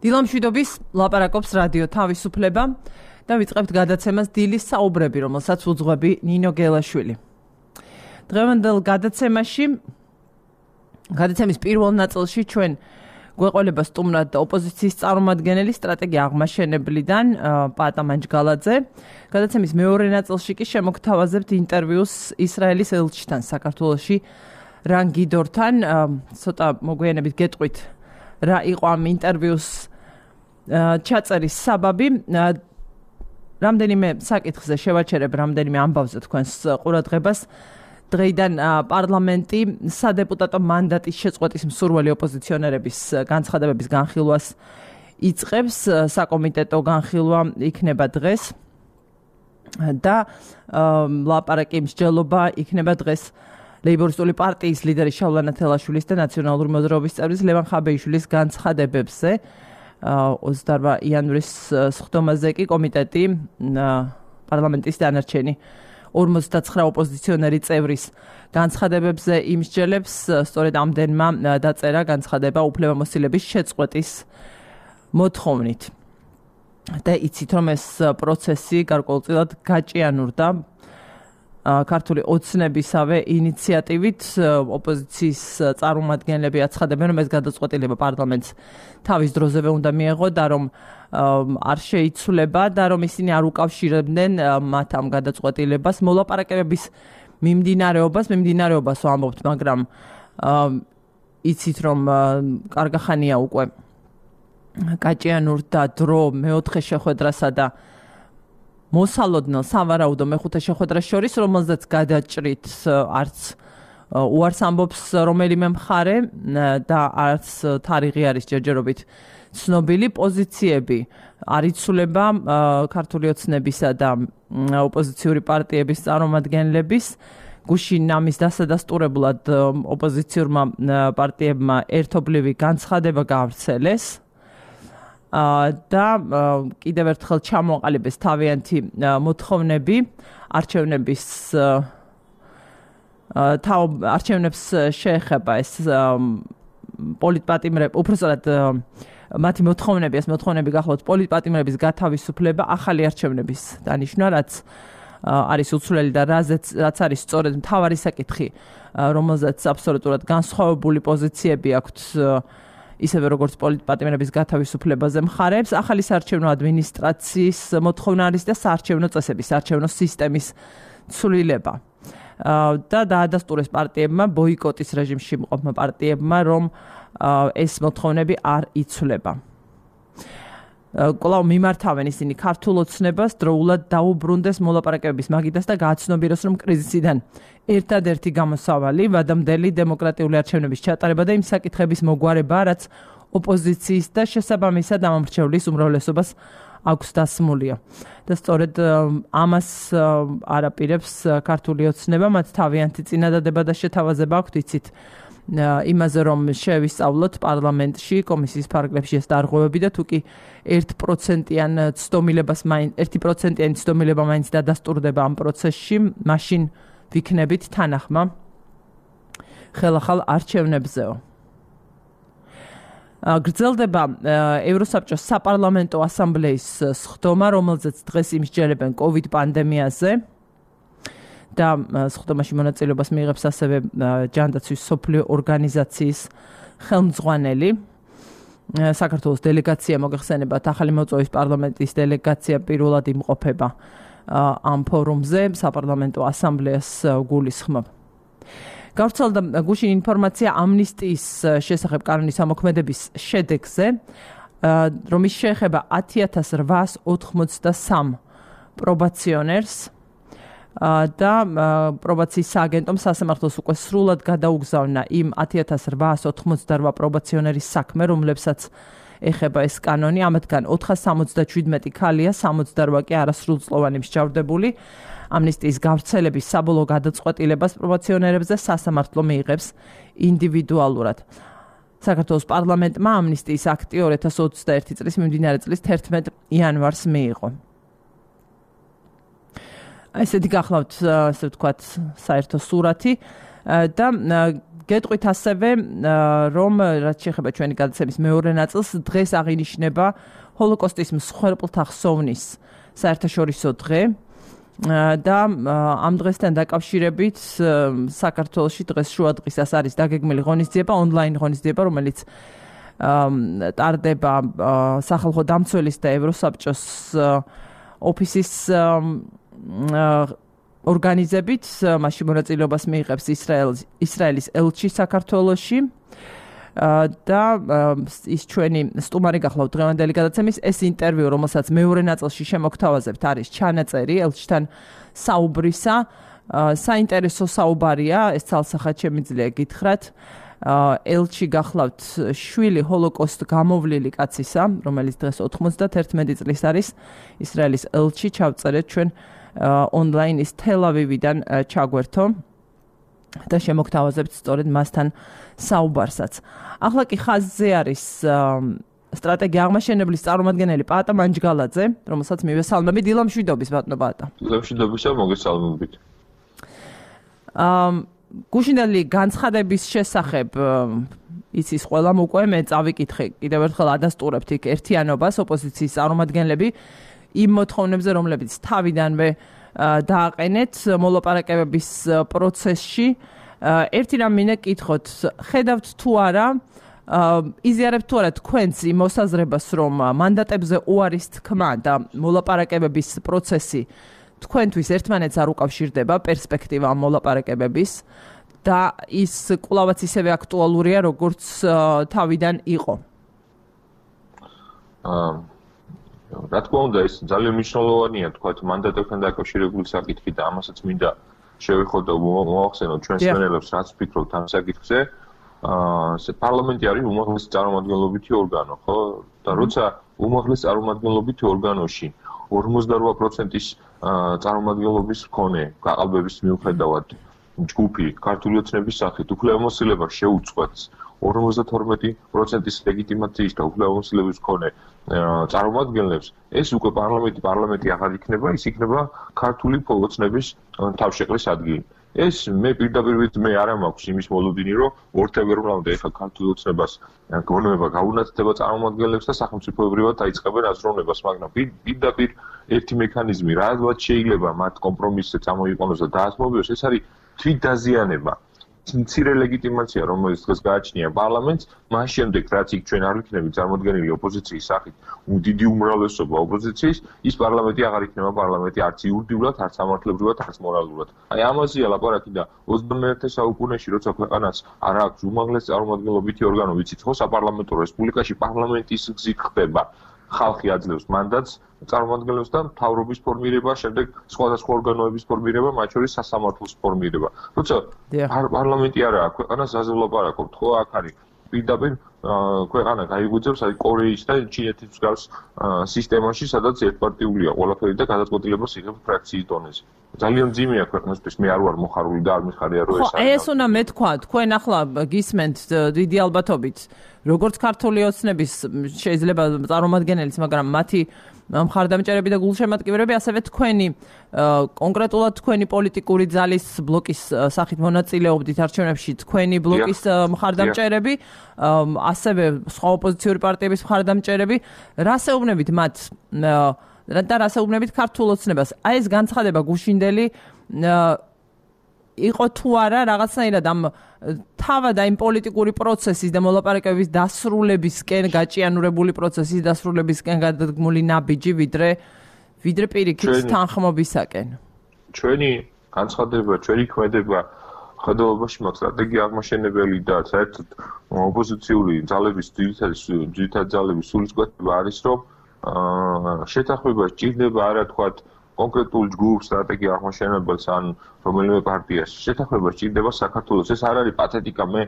დილამშვიდობის ლაპარაკობს რადიო თავისუფლება და ვიწყებთ გადაცემას დილის საუბრები, რომელსაც უძღვები ნინო გელაშვილი. დღევანდელ გადაცემის პირველ ნაწილში ჩვენ გვეყოლება სტუმრად ოპოზიციის წარმომადგენელი სტრატეგია აღმაშენებლიდან პატა მანჯგალაძე. გადაცემის მეორე ნაწილში კი შემოგთავაზებთ ინტერვიუს ისრაელის ელჩთან საქართველოში რან გიდორთან. ცოტა მოგვიანებით გეტყვით რა იყო ამ ინტერვიუს ჩაწერის საბაბი. რამდენიმე საკითხზე შევაჩერებ, რამდენიმე ამბავზე თქვენს ყურადღებას. დღეიდან პარლამენტი სადეპუტატო მანდატის შეწყვეტის მსურველი ოპოზიციონერების განცხადებების განხილვას იწყებს. საკომიტეტო განხილვა იქნება დღეს და ლაპარაკი მსჯელობა იქნება დღეს ლეიბორისტული პარტიის ლიდერი შავლანა თელაშვილის და ნაციონალური მოძრაობის წევრის ლევან ხაბეიშვილის განცხადებებზე. 28 იანვრის სხდომაზე კი კომიტეტი პარლამენტის დანარჩენი 59 ოპოზიციონერი წევრის განცხადებებზე იმსჯელებს. სწორედ ამდენმა დაწერა განცხადება უფლებამოსილების შეწყვეტის მოთხოვნით. და იცით რომ ეს პროცესი გარკვეულწილად გაჭიანურდა ქართული ოცნებისავე ინიციატივით. ოპოზიციის წარმომადგენლები აცხადებენ, რომ ეს გადაწყვეტილება პარლამენტს თავის დროზევე უნდა მიეღო და რომ არ შეიცვლება და რომ ისინი არ უკავშირებდნენ მათ ამ გადაწყვეტილებას. მოლაპარაკებების მიმდინარეობას ვამბობთ, მაგრამ იცით რომ კარგახანია უკვე გაჭიანურდა დრო მეოთხე შეხვედრასა და მოსალოდნელ სავარაუდო მეხუთე შეხვედრას შორის, რომელზეც გადაჭრით არც უარს ამბობს რომელიმე მხარე და არც თარიღი არის ჯერჯერობით ცნობილი. პოზიციები არ იცვლება ქართული ოცნებისა და ოპოზიციური პარტიების წარმომადგენლების. გუშინ ამის დასადასტურებლად ოპოზიციურმა პარტიებმა ერთობლივი განცხადება გაავრცელეს და კიდევ ერთხელ ჩამოყალიბეს თავიანთი მოთხოვნები არჩევნებს შეეხება ეს პოლიტპატიმრები, უпростоრად მათი მოთხოვნები გახლავთ პოლიტპატიმრების გათავისუფლება, ახალი არჩევნების დანიშვნა, რაც არის უცვლელი და რაც არის სწორედ მთავარი საკითხი, რომელზეც აბსოლუტურად განსხვავებული პოზიციები აქვთ ისევე როგორც პოლიტპატიმრების გათავისუფლებაზე მხარებს. ახალი საარჩევნო ადმინისტრაციის მოთხოვნა არის და საარჩევნო წესების, საარჩევნო სისტემის ცვლილება. და დაადასტურეს პარტიებმა, ბოიკოტის რეჟიმში მყოფმა პარტიებმა, რომ ეს მოთხოვნები არ იცვლება. კვლავ მიმართავენ ისინი ქართულ ოცნებას, დროულად დაუბრუნდეს მოლაპარაკებების მაგიდას და გააცნობიეროს, რომ კრიზისიდან ერთადერთი გამოსავალი ვადამდელი დემოკრატიული არჩევნების ჩატარება და იმ საკითხების მოგვარება, რაც ოპოზიციის და შესაბამისად ამომრჩევლის უმრავლესობას აქვს დასმულია. და სწორედ ამას არაპირებს ქართული ოცნება, მათ თავიანთი წინადადება და შეთავაზება აქვთ, იცით იმაზე, რომ შევისწავლოთ პარლამენტში კომისიის ფარგლებში ეს დარღვევები და თუ კი 1%-იან ცდომილება მაინც დადასტურდება ამ პროცესში, მაშინ ვიქნებით თანახმა ხელახალ არჩევნებზეო. გრძელდება ევროსაბჭოს საპარლამენტო ასამბლეის სხდომა, რომელზეც დღეს იმსჯელებენ COVID პანდემიაზე და სხდომაში მონაწილეობას მიიღებს ასევე ჯანდაცვის მსოფლიო ორგანიზაციის ხელმძღვანელი. საქართველოს დელეგაცია მოგეხსენებათ, ახალი მოწვევის პარლამენტის დელეგაცია პირველად იმყოფება ამ ფორუმზე, საპარლამენტო ასამბლეას გულისხმობ. გავრცელდა გუშინ ინფორმაცია ამნისტიის შესახებ კანონის ამოქმედების შედეგზე, რომის შეეხება 10,883 პრობაციონერს და პრობაციის სააგენტომ სასამართლოს უკვე სრულად გადაუგზავნა იმ 10,888 პრობაციონერის საქმე, რომლებსაც ეხება ეს კანონი. ამათგან 477 ქალია, 68 კი არასრულწლოვანი მსჯავრდებული. ამნისტიის გავრცელების საბოლოო გადაწყვეტილებას პრობაციონერებზე სასამართლო მიიღებს ინდივიდუალურად. საქართველოს პარლამენტმა ამნისტიის აქტი 2021 წლის მიმდინარე წლის 11 იანვარს მიიღო. ესეთი გახლავთ, ასე ვთქვათ, საერთო სურათი და გეტყვით ასევე, რომ რაც შეეხება ჩვენი გადაცემის მეორე ნაწილს, დღეს აღინიშნება ჰოლოკოსტის მსხვერპლთა ხსოვნის საერთაშორისო დღე და ამ დღესთან დაკავშირებით საქართველოში დღეს შუადღისას არის დაგეგმილი ღონისძიება, ონლაინ ღონისძიება, რომელიც ტარდება სახალხო დამცველის და ევროსაბჭოს ოფისის ორგანიზებით, მასში მონაწილეობას მიიღებს ისრაელის ელჩი საქართველოში და ის ჩვენი სტუმარი გახლავთ დღევანდელი გადაცემის. ეს ინტერვიუ, რომელსაც მეორე ნაწილში შემოგთავაზებთ, არის ჩანაწერი ელჩთან საუბრისა. საინტერესო საუბარია, ეს ცალსახად შემიძლია გითხრათ. ელჩი გახლავთ შვილი ჰოლოკოსტ გამოვლილი კაცისა, რომელიც დღეს 91 წლის არის. ისრაელის ელჩი, ჩავწერეთ ჩვენ ონლაინ ის თელ-ავივიდან ჩაგვერთო და შემოგთავაზებთ სწორედ მასთან საუბარსაც. ახლა კი ხაზზე არის სტრატეგია აღმაშენებლის წარმომადგენელი პაატა მანჯგალაძე, რომელსაც მივესალმები. დილამშვიდობის ბატონო პაატა. დილამშვიდობისა, მოგესალმებით. გუშინდელი განცხადების შესახებ იცის ყველამ უკვე, მე წავიკითხე კიდევ ერთხელ ადასტურებთ იქ ერთიანობას ოპოზიციის წარმომადგენლები იმ მოთხოვნებზე, რომლებიც თავიდანვე დააყენეთ მოლაპარაკებების პროცესში. ერთი რამ მინდა კითხოთ, ხედავთ თუ არა, იზიარებთ თუ არა თქვენს იმ მოსაზრებას, რომ მანდატებზე უარის თქმა და მოლაპარაკებების პროცესი თქვენთვის ერთმანეთს არ უკავშირდება პერსპექტივა ამ მოლაპარაკებების და ის კვლავაც ისევე აქტუალურია, როგორც თავიდან იყო. რა თქმა უნდა, ეს ძალიან მნიშვნელოვანია, თქვათ, მანდატებთან დაკავშირებული საკითხი და ამასაც მინდა შევეხოთ და მოვახსენოთ ჩვენს მენელებს, რაც ფიქრობთ ამ საკითხზე. პარლამენტი არის უმაღლესი წარმომადგენლობითი ორგანო, ხო? და როცა უმაღლეს წარმომადგენლობითი ორგანოში 48%-ის წარმომადგენლობის მქონე გაყალბების მიუხედავად ჯგუფი ქართული ოცნების სახით უფლებამოსილებას შეუწყვეტს 52%-ის ლეგიტიმაციის და უფლებამოსილების მქონე წარმომადგენლებს, ეს უკვე პარლამენტი აღარ იქნება, ის იქნება ქართული ოცნების თავშეყრის ადგილი. ეს მე პირდაპირ მე არ მაქვს იმის მოლოდინი, რომ ორთებერვლამდე ეხლა ქართული ოცნებას გონება გაუნათდება წარმომადგენლებს და სახელმწიფოებრივად დაიწყებენ აზროვნებას, მაგრამ პირდაპირ ერთი მექანიზმი, რადგან შეიძლება მათ კომპრომისზე წამოიყვანოს და დაასმობიოს, ეს არის თვითდაზიანება. მცირე ლეგიტიმაცია, რომელიც დღეს გააჩნია პარლამენტს, მას შემდეგ რაც იქ ჩვენ არ ვიქნებით წარმოდგენილი ოპოზიციის სახით, დიდი უმრავლესობა ოპოზიციის, ის პარლამენტი აღარ იქნება პარლამენტი არც იურიდიულად, არც სამართლებრივად, არც მორალურად. აი ამაზეა ლაპარაკი და 21 საუკუნეში, როცა ქვეყანას არ აქვს უმაღლესი წარმომადგენლობითი ორგანო, ვიცით ხო, საპარლამენტო რესპუბლიკაში პარლამენტის გზით ხდება. ხალხი აძლევს მანდატს წარმომადგენლებს და მთავრობის ფორმირება, შემდეგ სხვადასხვა ორგანოების ფორმირება, მათ შორის სასამართლოს ფორმირება. როცა პარლამენტი არაა, ქვეყანას აზე ვლაპარაკობთ, ხო, აქ არის პირდაპირ ქვეყანა გაიღვიძებს აი კორეის და ჩინეთის მსგავს სისტემაში, სადაც ერთპარტიულია ყველაფერი და გადაწყვეტილებას იღებს ფრაქციის დონეზე. ძალიან ძიმეა ქვეყნისთვის, მე არ ვარ მოხარული და არ მიხარია რომ ეს არის. ეს უნდა მეთქვა, თქვენ ახლა გისმენთ დიდი ალბათობით, როგორც ქართული ოცნების შეიძლება წარმომადგენელიც, მაგრამ მათი მხარდამჭერები და გულშემატკივრები, ასევე თქვენი კონკრეტულად თქვენი პოლიტიკური ძალის ბლოკის სახით მონაწილეობდით არჩევნებში, თქვენი ბლოკის მხარდამჭერები, ასევე სხვა ოპოზიციური პარტიების მხარდამჭერები, რას ეუბნებით მათ და რას ეუბნებით ქართულ ოცნებას? აი ეს განცხადება გუშინდელი იყო თუ არა რაღაცნაირად ამ თავად იმ პოლიტიკური პროცესის და მოლაპარაკებების დასრულებისკენ გაჭიანურებული პროცესის დასრულებისკენ გადადგმული ნაბიჯი, ვიდრე პირიქით თანხმობისაკენ. ჩვენი განცხადება, ჩვენი ქმედება ხედავობაში მაქვს სტრატეგია აღმაშენებელი და საერთოდ ოპოზიციური ძალების ძირითადი ძალების სულისკვეთება არის, რომ შეთანხმება სჭირდება არა თქვათ კონკრეტულ ჯგუფს სტრატეგია აღმაშენებელს ან რომელიმე პარტიას. შეთანხმება სჭირდება საქართველოს. ეს არ არის პათეტიკა, მე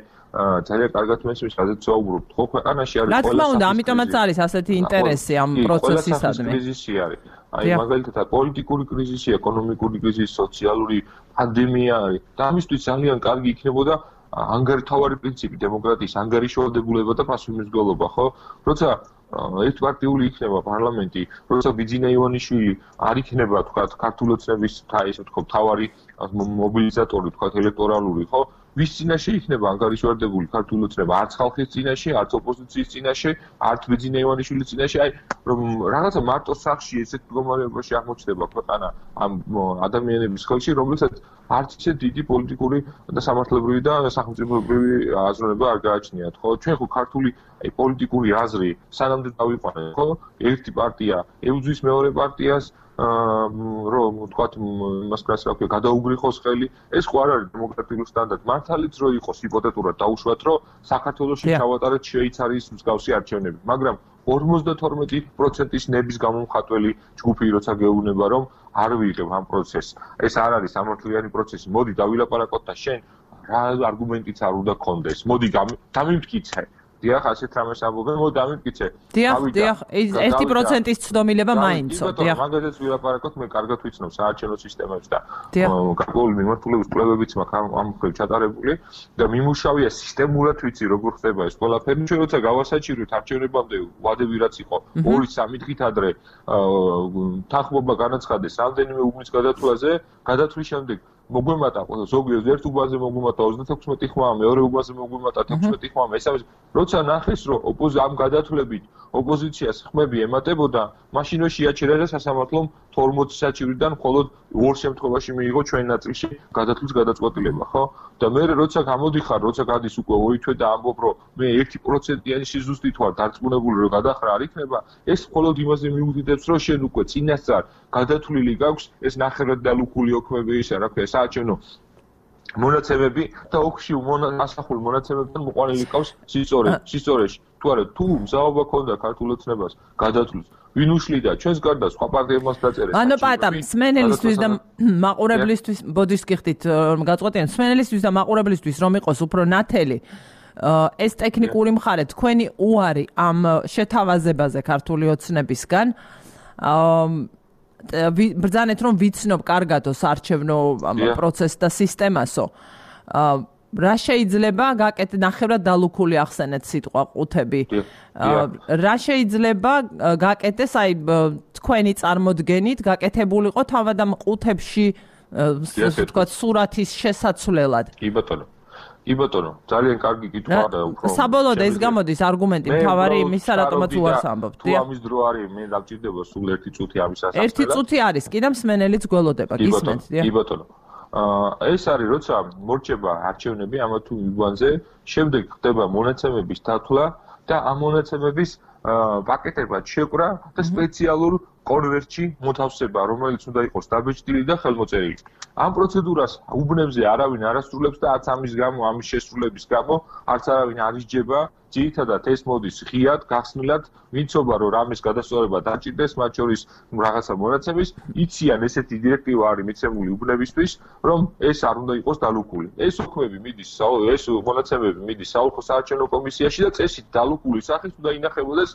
ძალიან კარგად მესმის, რაზეც ვაუბრობთ. ხო, ქვეყანაში არის ყველა. რა თქმა უნდა, ამიტომაც არის ასეთი ინტერესი ამ პროცესისადმი. კრიზისი არის. აი, მაგალითად, პოლიტიკური კრიზისი, ეკონომიკური კრიზისი, სოციალური პანდემია არის. და ამისთვის ძალიან კარგი იქნებოდა ანგარიშთავარი პრინციპი, დემოკრატიის ანგარიშვალდებულება და პასუხისმგებლობა, ხო? როცა ერთპარტიული იქნება პარლამენტი, როცა ბიძინა ივანიშვილი არ იქნება, თქვათ, ქართული ოცნების, ესე ვთქვათ, მთავარი მობილიზატორი, თქვათ, ელექტორალური, ხო? ვის წინაშე იქნება ანგარიშვალდებული ქართული ოცნება, არც ხალხის წინაშე, არც ოპოზიციის წინაშე, არც ბეძინა ივანიშვილის წინაშე, აი რომ რაღაცა მარტო სახში ესეთ მდგომარეობაში აღმოჩნდება ქვეყანა ამ ადამიანების ხელში, რომელსაც არც ისე დიდი პოლიტიკური და სამართლებრივი და სახელმწიფოებრივი აზროვნება არ გააჩნიათ, ხო? ჩვენ ხო ქართული აი პოლიტიკური აზრი სანამდე დავიყვანეთ, ხო? ერთი პარტია ებრძვის მეორე პარტიას რომ თქვათ იმას კაც რა ქვია გადაუგრიხოს ხელი ეს ხო არ არის დემოკრატიული სტანდარტი მართალიც რო იყოს ჰიპოთეტურად დაუშვათ რომ საქართველოში ჩავატარეთ შვეიცარიის მსგავსი არჩევნები მაგრამ 52%-ის ნების გამომხატველი ჯგუფი როცა გეუბნება რომ არ ვიღებ ამ პროცესს ეს არ არის სამართლიანი პროცესი მოდი დავილაპარაკოთ და შენ რა არგუმენტიც არ უნდა გქონდეს მოდი დამიმტკიცე დიახ, ასეთ რამეს ამბობენ, მოდი დამიმტკიცე. დიახ, 1%-ის ცდომილება მაინცო, დიახ. მაგაზეც ვილაპარაკოთ, მე კარგად ვიცნობ საარჩევნო სისტემებს და გარკვეული მიმართულების კვლევებიც მაქვს ამ მხრივ ჩატარებული და მიმუშავია სისტემურად ვიცი როგორ ხდება ეს ყველაფერი. ჩვენ როცა გავასაჭიროთ არჩევნებამდე ვადები რაც იყო 2-3 დღით ადრე თანხმობა განაცხადეს რამდენიმე უბნის გადათვლაზე, გადათვლის შემდეგ მოგვემატა ზოგიერთ ერთ უბანზე მოგვემატა 36 ხმა, მეორე უბანზე მოგვემატა 16 ხმა, მესამე როცა ნახეს რომ ამ გადათვლებით ოპოზიციას ხმები ემატებოდა, მაშინ შეაჩერა და სასამართლომ 40 საჭირიდან მხოლოდ ორ შემთხვევაში მიიღო ჩვენ ნაწილში გადათვლის გადაწყვეტილება, ხო? და მე როცა გამოდიხარ, როცა გადის უკვე ოითვე და ამბობ რომ მე 1%-იანი სიზუსტით ვარ დარწმუნებული რომ გადახრა არ იქნება, ეს მხოლოდ იმაზე მიუთითებს რომ შენ უკვე წინასწარ გადათვლილი გაქვს ეს ნახევრად დალუქული ოქმები ისა, რა ქვია, საარჩევნო მონაცემები და ოქში ასახული მონაცემებთან მოყვანილი ყავს სისწორეში. თუ არა, თუ მზაობა ქონდა ქართულ ოცნებას გადათვლის, ვინ უშლიდა ჩვენს გარდა სხვა პარტიებმაც დაწერეს. ანუ პატამ, სმენელისთვის და მაყურებლისთვის ბოდიშს გიხდით რომ გაწყვეტიან, სმენელისთვის და მაყურებლისთვის რომ იყოს უფრო ნათელი ეს ტექნიკური მხარე თქვენი უარი ამ შეთავაზებაზე ქართული ოცნებისგან ბრძანეთ რომ ვიცნობ კარგადო საარჩევნო პროცესს და სისტემასო რა შეიძლება გაკეთდეს ნახევრად დალუქული ახსენეთ სიტყვა ყუთები რა შეიძლება გაკეთდეს აი თქვენი წარმოდგენით გაკეთებულიყო თავად ამ ყუთებში ასე ვთქვათ სურათის შესაცვლელად კი ბატონო ძალიან კარგი კითხვა და უფრო საბოლოოდ ეს გამოდის არგუმენტი მთავარი იმისა რატომაც უარს ამბობთ თუ ამის დრო არის მე დაგჭირდება სულ 1 წუთი ამის ასახელად 1 წუთი არის კი და მსმენელიც გველოდება გისმენთ კი ბატონო ეს არის როცა მორჩება არჩევნები ამა თუ უბანზე შემდეგ ხდება მონაცემების დათვლა და ამ მონაცემების პაკეტებად შეყრა და სპეციალურ კონვერტში მოთავსება რომელიც უნდა იყოს დაბეჭდილი და ხელმოწერილი ამ პროცედურას უბნებზე არავინ არ ასრულებს და არც ამის გამო ამის შესრულების გამო არც არავინ არ ისჯება ძირითადად ეს მოდის ღიად გახსნილად ვიცობა რომ რამის გადასწორება დაჭირდეს მათ შორის რაღაცა მონაცემის იციან ესეთი დირექტივა არის მიცემული უბნებისთვის რომ ეს არ უნდა იყოს დალუქული ეს ოქმები მიდის ეს მონაცემები მიდის საოლქო საარჩევნო კომისიაში და წესით დალუქული სახით უნდა ინახებოდეს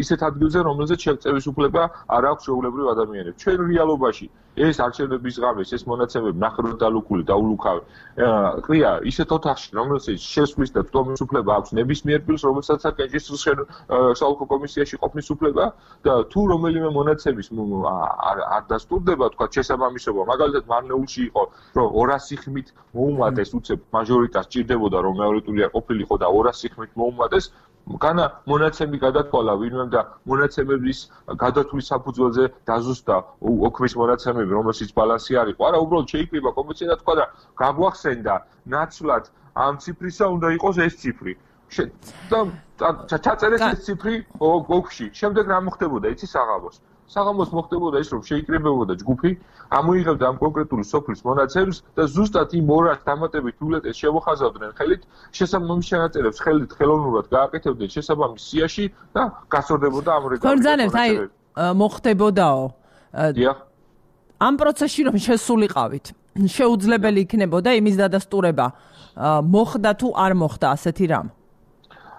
ისეთ ადგილზე რომელზეც შეწევის უფლება არ აქვს ჩვეულებრივ ადამიანებს ჩვენ რეალობაში ეს არჩევნების ღამეს ეს მონაცემები ნახევრად დალუქული დაულუქავი ყრია ისეთ ოთახში რომელსაც შესვლის და წვდომის უფლება აქვს ნებისმიერ ფილს რომელსაც აკენჭისყრის საოლქო კომისიაში ყოფნის უფლება და თუ რომელიმე მონაცემის არ დასტურდება თქვა შესაბამისობა მაგალითად მარნეულში იყო რომ 200 ხმით მოუმატეს უცებ მაჟორიტას ჭირდებოდა რომ მეორე ტური არ ყოფილიყო და 200 ხმით მოუმატეს განა მონაცემი გადათვალა ვინმემ და მონაცემების გადათვლის საფუძველზე დაზუსტა ოქმის მონაცემები რომელშიც ბალანსი არ იყო არა უბრალოდ შეიკრიბა კომისია და თქვა და გაგვახსენდა ნაცვლად ამ ციფრისა უნდა იყოს ეს ციფრი და ჩაწერეს ეს ციფრი ოქში შემდეგ რა მოხდებოდა იცი საღამოს მოხდებოდა ის რომ შეიკრიბებოდა ჯგუფი ამოიღებდა ამ კონკრეტული სოფლის მონაცემს და ზუსტად იმ 200 დამატებით ბიულეტენს შევახაზავდნენ ხელით შესაბამის ჩანაწერებს ხელით ხელოვნურად გააკეთებდნენ შესაბამის სიაში და გასწორდებოდა ამ რეგულაციას ქორძანებთ აი მოხდებოდაო დიახ ამ პროცესში რომ შესულიყავით შეუძლებელი იქნებოდა იმის დადასტურება მოხდა თუ არ მოხდა ასეთი რამ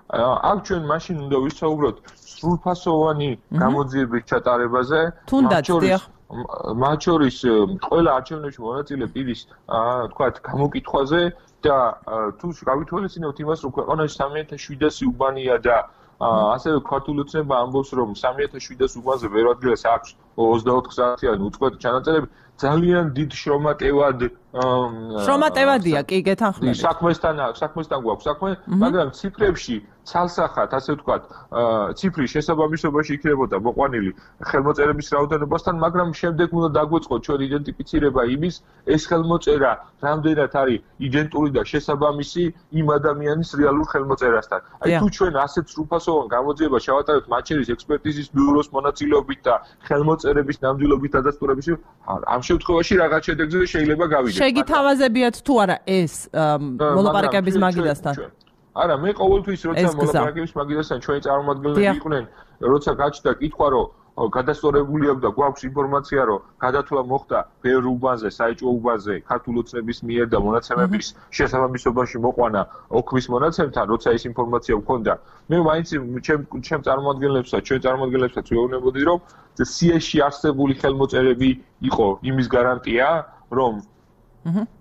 აქ ჩვენ მაშინ უნდა ვისაუბროთ სრულფასოვანი გამოძიების ჩატარებაზე მათ შორის ყველა არჩევნებში მონაწილე პირის თქვათ გამოკითხვაზე და თუ გავითვალისწინებთ იმას რომ ქვეყანაში 3700 უბანია და ასევე ქართული ოცნება ამბობს რომ 3700 უბანზე ვერ ადგილას აქვს 24 საათიანი უწყვეტ ჩანაწერები ძალიან დიდ შრომატევადია კი გეთანხმებით. საქმესთან გვაქვს საქმე, მაგრამ ციფრებში ცალსახად, ასე ვთქვათ, ციფრის შესაბამისობაში იქნებოდა მოყვანილი ხელმოწერების რაოდენობასთან, მაგრამ შემდეგ უნდა დაგვეწყოთ ჩვენ იდენტიფიცირება იმის, ეს ხელმოწერა რამდენად არის იდენტური და შესაბამისი იმ ადამიანის რეალურ ხელმოწერასთან. აი თუ ჩვენ ასეთ სრულფასოვან გამოძიებას შევატარებთ მაჩერის ექსპერტიზის ბიუროს მონაწილეობით და ხელმოწერების ნამდვილობით დადასტურებაში, ამ შემთხვევაში რაღაც შედეგზე შეიძლება გავიდეთ. შეგითავაზებიათ თუ არა ეს მოლაპარაკების მაგიდასთან? არა, მე ყოველთვის როცა მოლაპარაკების მაგიდასთან ჩვენი წარმომადგენლები იყვნენ, როცა გაჩნდა კითხვა, რომ გადასწორებული აქვს და გვაქვს ინფორმაცია, რომ გადათვლა მოხდა ბევრ უბანზე, საეჭვო უბანზე, ქართულ ოცნების მიერ და მონაცემების შესაბამისობაში მოყვანა ოქმის მონაცემთან, როცა ეს ინფორმაცია გვქონდა, მე მაინც ჩემ წარმომადგენლებსაც ვეუბნებოდი, რომ სიაში არსებული ხელმოწერები იყო იმის გარანტია, რომ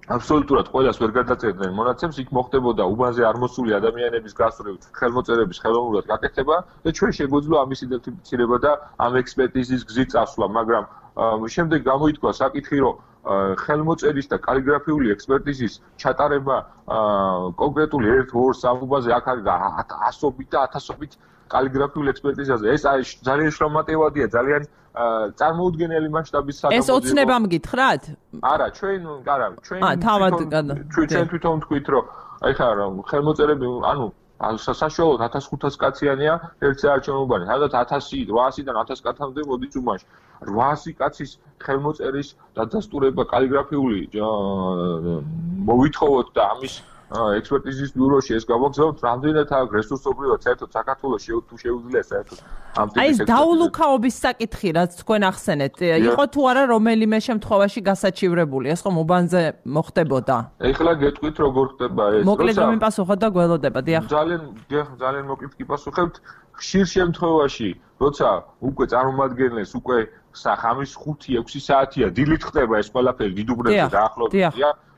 აბსოლუტურად ყველას ვერ გადაწერდნენ მონაცემს, იქ მოხდებოდა უბანზე არ მოსული ადამიანების გასწრებ ხელმოწერების ხელოვნურად გაკეთება და ჩვენ შეგვეძლო ამის იდენტიფიცირება და ამ ექსპერტიზის გზით წასვლა, მაგრამ შემდეგ გამოითქვა საკითხი, რომ ხელმოწერის და კალიგრაფიული ექსპერტიზის ჩატარება კონკრეტული 1-2-3 უბანზე აქ არის ასობით და ათასობით კალიგრაფიული ექსპერტიზაზე. ეს არის ძალიან შრომატევადია, ძალიან წარმოუდგენელი მასშტაბის საკითხია. ეს ოცნებამ გითხრათ? არა, ჩვენ თვითონ თქვით, რომ აი ხა ხელმოწერები, ანუ საშუალოდ 1500 კაციანია ერთ საარჩევნო უბანი. სადაც 1800-დან 1000 კაცამდე მოდის უბანში. 800 კაცის ხელმოწერის დადასტურება კალიგრაფიული მოვითხოვოთ და ამის ექსპერტიზის ბიუროში ეს გავაგზავნოთ, რამდენად აქვს რესურსობრივად საერთოდ საქართველოში თუ შეუძლია საერთოდ ამ ტიპის ეს დაულუქაობის საკითხი, რაც თქვენ ახსენეთ, იყო თუ არა რომელიმე შემთხვევაში გასაჩივრებული, ეს ხომ უბანზე მოხდებოდა? ეხლა გეტყვით როგორ ხდება ეს. მოკლედ რომ იმპასუხოთ და გველოდება, დიახ. ძალიან მოკლედ გიპასუხებთ. ხშირ შემთხვევაში, როცა უკვე წარმომადგენლებს უკვე ხამის 5-6 საათია დილით ხდება ეს ყველაფერი დიდუბნებზე დაახლოებით.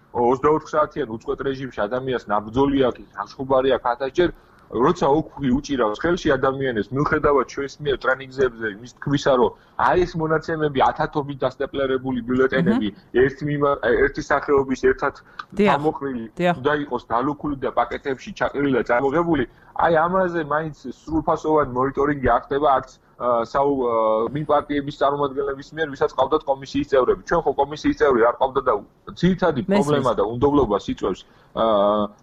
24 საათიან უწყვეტ რეჟიმში ადამიანს ნაბრძოლი აქვს, განშხუბარი აქვს ათასჯერ, როცა ოქმი უჭირავს ხელში ადამიანებს, მიუხედავად ჩვენს მიერ ტრენინგებზე იმის თქმისა, რომ აი ეს მონაცემები ათათობით დასტეპლერებული ბიულეტენები ერთი სახეობის ერთად გამოყრილი და იყოს დალუქული და პაკეტებში ჩაყრილი და წარმოღებული, აი ამაზე მაინც სრულფასოვანი მონიტორინგი არ ხდება არც მიპარტიების წარმომადგენლების მიერ, ვისაც ყავდათ კომისიის წევრები. ჩვენ ხო კომისიის წევრი არ ყავდა და ძირითადი პრობლემა და უნდობლობას იწვევს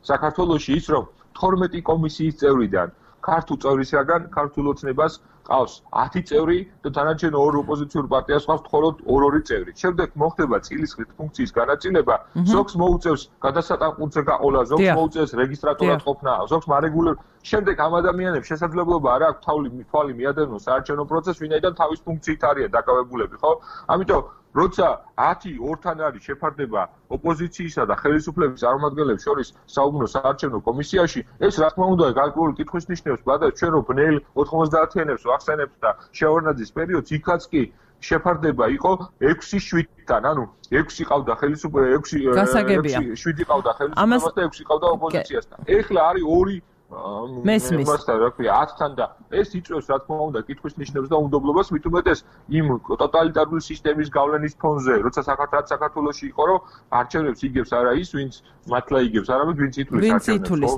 საქართველოში ის, რომ 12 კომისიის წევრიდან ქართულ წევრისგან ქართულ ოცნებას ყავს 10 წევრი და დანარჩენ ორ ოპოზიციურ პარტიას ყავს მხოლოდ 2 წევრი. შემდეგ მოხდება წილისყრით ფუნქციის განაწილება, ზოგს მოუწევს გადასატანყურზე გაყოლა, ზოგს მოუწევს რეგისტრატორად ყოფნა, ზოგს მარეგულირ. შემდეგ ამ ადამიანებს შესაძლებლობა არ აქვს თვალი მიადევნოს საარჩევნო პროცესს, ვინაიდან თავის ფუნქციით არიან დაკავებულები, ხო? ამიტომ როცა 10-2-თან არის შეფარდება ოპოზიციისა და ხელისუფლების წარმომადგენლებს შორის საუბნო საარჩევნო კომისიაში, ეს რა თქმა უნდა გარკვეული კითხვის ნიშნებს, ბადა ჩვენ რო ბნელ 90-იანებს ვახსენებთ და შევარნაძის პერიოდს, იქაც კი შეფარდება იყო 6-7-თან, ანუ 6 ყავდა ხელისუფლება, 7 ყავდა ხელისუფლებას და 6 ყავდა ოპოზიციასთან. ეხლა არის 2 მესმის. რა ქვია 10-თან და ეს იწვევს რა თქმა უნდა კითხვის ნიშნებს და უნდობლობას, მით უმეტეს იმ ტოტალიტარული სისტემის გავლენის ფონზე, როცა საქართველოში იყო, რომ არჩევნებს იგებს არა ის, ვინც მართლა იგებს, არამედ ვინც ითვლის.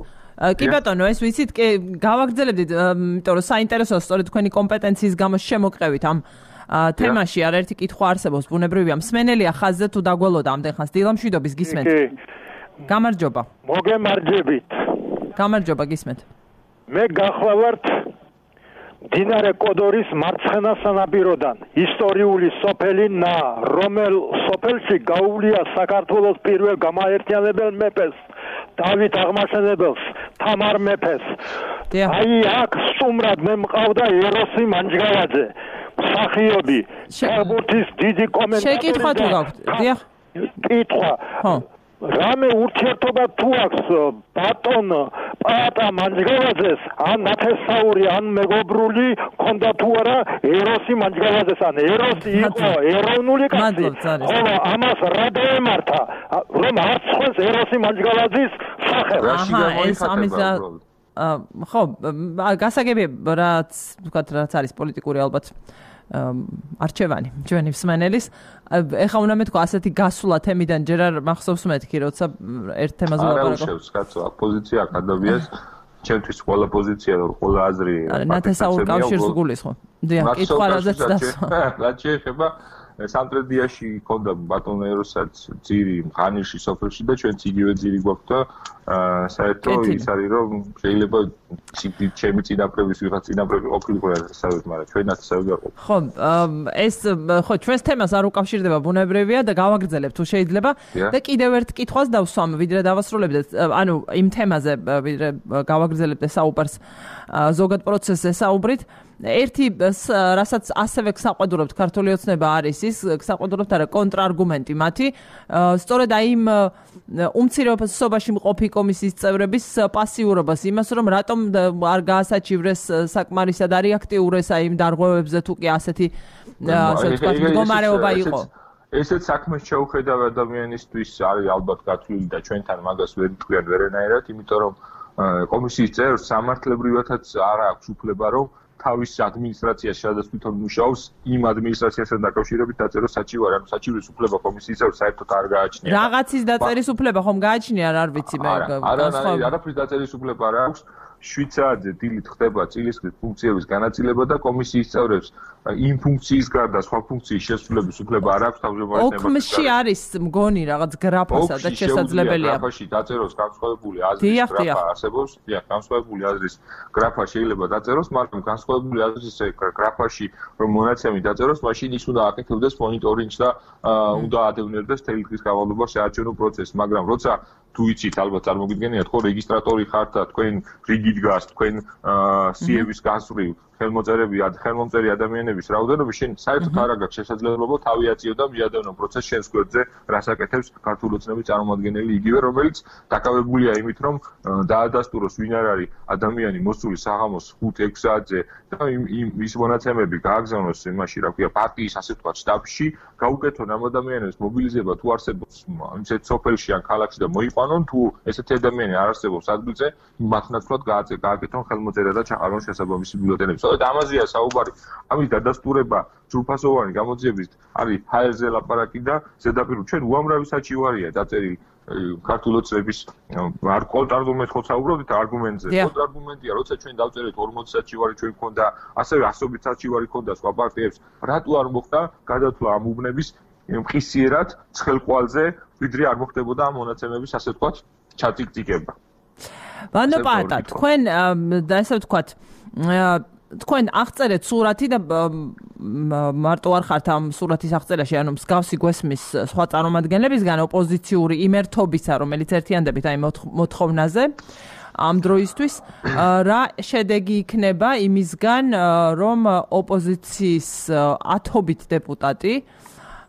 კი ბატონო, ეს ვიცით, გავაგრძელებდით, იმიტომ რომ საინტერესოა სწორედ თქვენი კომპეტენციის გამო შემოყევით ამ თემაში არაერთი კითხვა არსებობს, ბუნებრივია. მსმენელია ხაზზე თუ დაგველოდა ამდენ ხანს. დილამშვიდობის გისმენთ. გამარჯობა. მოგემარჯებით. გამარჯობა, გისმენთ. მე გახლავართ მდინარე კოდორის მარცხენა სანაპიროდან, ისტორიული სოფელი ნა, რომელ სოფელში გაუვლია საქართველოს პირველ გამაერთიანებელ მეფეს, დავით აღმაშენებელს, თამარ მეფეს. აი აქ სტუმრად მე მყავდა ეროსი მანჯგალაძე, მსახიობი, ფეხბურთის დიდი კომენტატორი. შეკითხვა თუ გაქვთ? დიახ. კითხვა. ხო. რამე ურთიერთობა თუ აქვს ბატონ პაატა მანჯგალაძეს, ან ნათესაური, ან მეგობრული ქონდა თუ არა ეროსი მანჯგალაძეს, ან ეროსი იყო ეროვნული კაცი, ხოლო ამას რა დაემართა, რომ არ ცხვენს ეროსი მანჯგალაძის სახელი. ეს ამისა ხო, გასაგებია, რაც ვთქვათ, რაც არის პოლიტიკური ალბათ არჩევანი ჩვენი მსმენელის ეხა უნდა მეთქვა ასეთი გასვლა თემიდან ჯერ არ მახსოვს მეთქი როცა ერთ თემაზე ვაპარაკობ არა უშევს კაცო აპოზიცია კადაბიას ჩემთვის ყველა პოზიცია და ყველა აზრი ნათესაურ კავშირს გულის ხო დიახ კითხვა რაზეც დასვა რა შეიძლება სამტრედიაში ქონდა ბატონ ეროსაც ძირი ღანიში სოფელში და ჩვენც იგივე ძირი გვაქვს და საერთოდ ის არის რომ შეიძლება ჩემი წინაპრების ვიღაც წინაპრები ყოფილიყო ასავით მაგრამ ჩვენაც ასავით არ ყოფილიყო ხო ეს ხო ჩვენს თემას არ უკავშირდება ბუნებრივია და გავაგრძელებ თუ შეიძლება და კიდევ ერთ კითხვას დავსვამ ვიდრე დავასრულებდეთ ანუ იმ თემაზე ვიდრე გავაგრძელებდე საუბარს ზოგად პროცესზე საუბრით ერთი რასაც ასევე გსაყვედურობთ ქართული ოცნება არის ის გსაყვედურობთ არა კონტრარგუმენტი მათი სწორედ აი იმ უმცირესობაში მყოფი კომისიის წევრების პასიურობას იმას რომ რატომ არ გაასაჩივრეს საკმარისად არ აქტიურეს აი იმ დარღვევებზე თუ კი ასეთი ასე ვთქვათ მდგომარეობა იყო ესეც საქმეს შეუხედავ ადამიანისთვის არის ალბათ გათვლილი და ჩვენთან მაგას ვერ თქვენ ვერანაირად იმიტომ რომ კომისიის წევრს სამართლებრივადაც არ აქვს უფლება რომ თავის ადმინისტრაციას სადაც თვითონ მუშაობს იმ ადმინისტრაციასთან დაკავშირებით დაწეროს საჩივარი, ანუ საჩივრის უფლება კომისიის წევრს საერთოდ არ გააჩნია. რაღაცის დაწერის უფლება ხომ გააჩნია, არ ვიცი მე. არაფრის დაწერის უფლება არ აქვს. 7 საათზე დილით ხდება წილისყრის ფუნქციების განაწილება და კომისიის წევრებს იმ ფუნქციის გარდა სხვა ფუნქციის შესრულების უფლება არ აქვს თავმჯდომარეებმა. ოქმში არის მგონი რაღაც გრაფასა და შესაძლებელია. გრაფაში დაწეროს განსხვავებული აზრის გრაფა არსებობს. დიახ, განსხვავებული აზრის გრაფა შეიძლება დაწეროს, მაგრამ განსხვავებული აზრის გრაფაში რომ მონაცემი დაწეროს, მაშინ ის უნდა აკეთებდეს მონიტორინგს და უნდა ადევნებდეს თელი დღის განმავლობაში საარჩევნო პროცესს, მაგრამ როცა თუ იცით ალბათ წარმოგიდგენიათ ხო რეგისტრატორი ხართ და თქვენ რიგით გას თქვენ სიების გასწრივ ხელმომწერი ადამიანების რაოდენობა შენ საერთოდ არ აქვს შესაძლებლობა თავი აწიო და მიადევნო პროცესს შენს გვერდზე რასაკეთებს ქართული ოცნების წარმომადგენელი იგივე რომელიც დაკავებულია იმით რომ დაადასტუროს ვინ არ არის ადამიანი მოსული საღამოს 5-6 საათზე და ის მონაცემები გააგზავნოს იმაში რა ქვია პარტიის ასე ვთქვათ შტაბში გაუკეთონ ამ ადამიანებს მობილიზება თუ არსებობს ისეთ სოფელში ან ქალაქში და მოიყვანონ თუ ესეთი ადამიანი არ არსებობს ადგილზე მათ ნაცვლად გააკეთონ ხელმოწერა და ჩაყარონ შესაბამისი ბიულეტენები ამაზეა საუბარი. ამის დადასტურება ჯგუფასოვანი გამოძიების არის ჰაერზე ლაპარაკი და ზედაპირულ ჩვენ უამრავი საჩივარია დაწერილი ქართული ოცნების არ კონტრარგუმენტს ხო საუბრობთ არგუმენტზე. კონტრარგუმენტია, როცა ჩვენ დავწერეთ 40 საჩივარი ჩვენ გქონდა, ასევე 100 საჩივარი გქონდა სხვა პარტიებს. რატო არ მოხდა გადათვლა ამ უბნების მხისიერად ცხელყვალზე, ვიდრე არ მოხდებოდა ამ მონაცემების ასე ვთქვათ ჩატიკტიკება. ბანო პატა, თქვენ ასე ვთქვათ თქვენ აღწერეთ სურათი და მარტო არ ხართ ამ სურათის აღწერაში, ანუ მსგავსი გვესმის სხვა წარმომადგენლებისგან ოპოზიციური იმერთობისა, რომელიც ერთიანდებით აი მოთხოვნაზე ამ დროისთვის რა შედეგი იქნება იმისგან, რომ ოპოზიციის 10-ობით დეპუტატი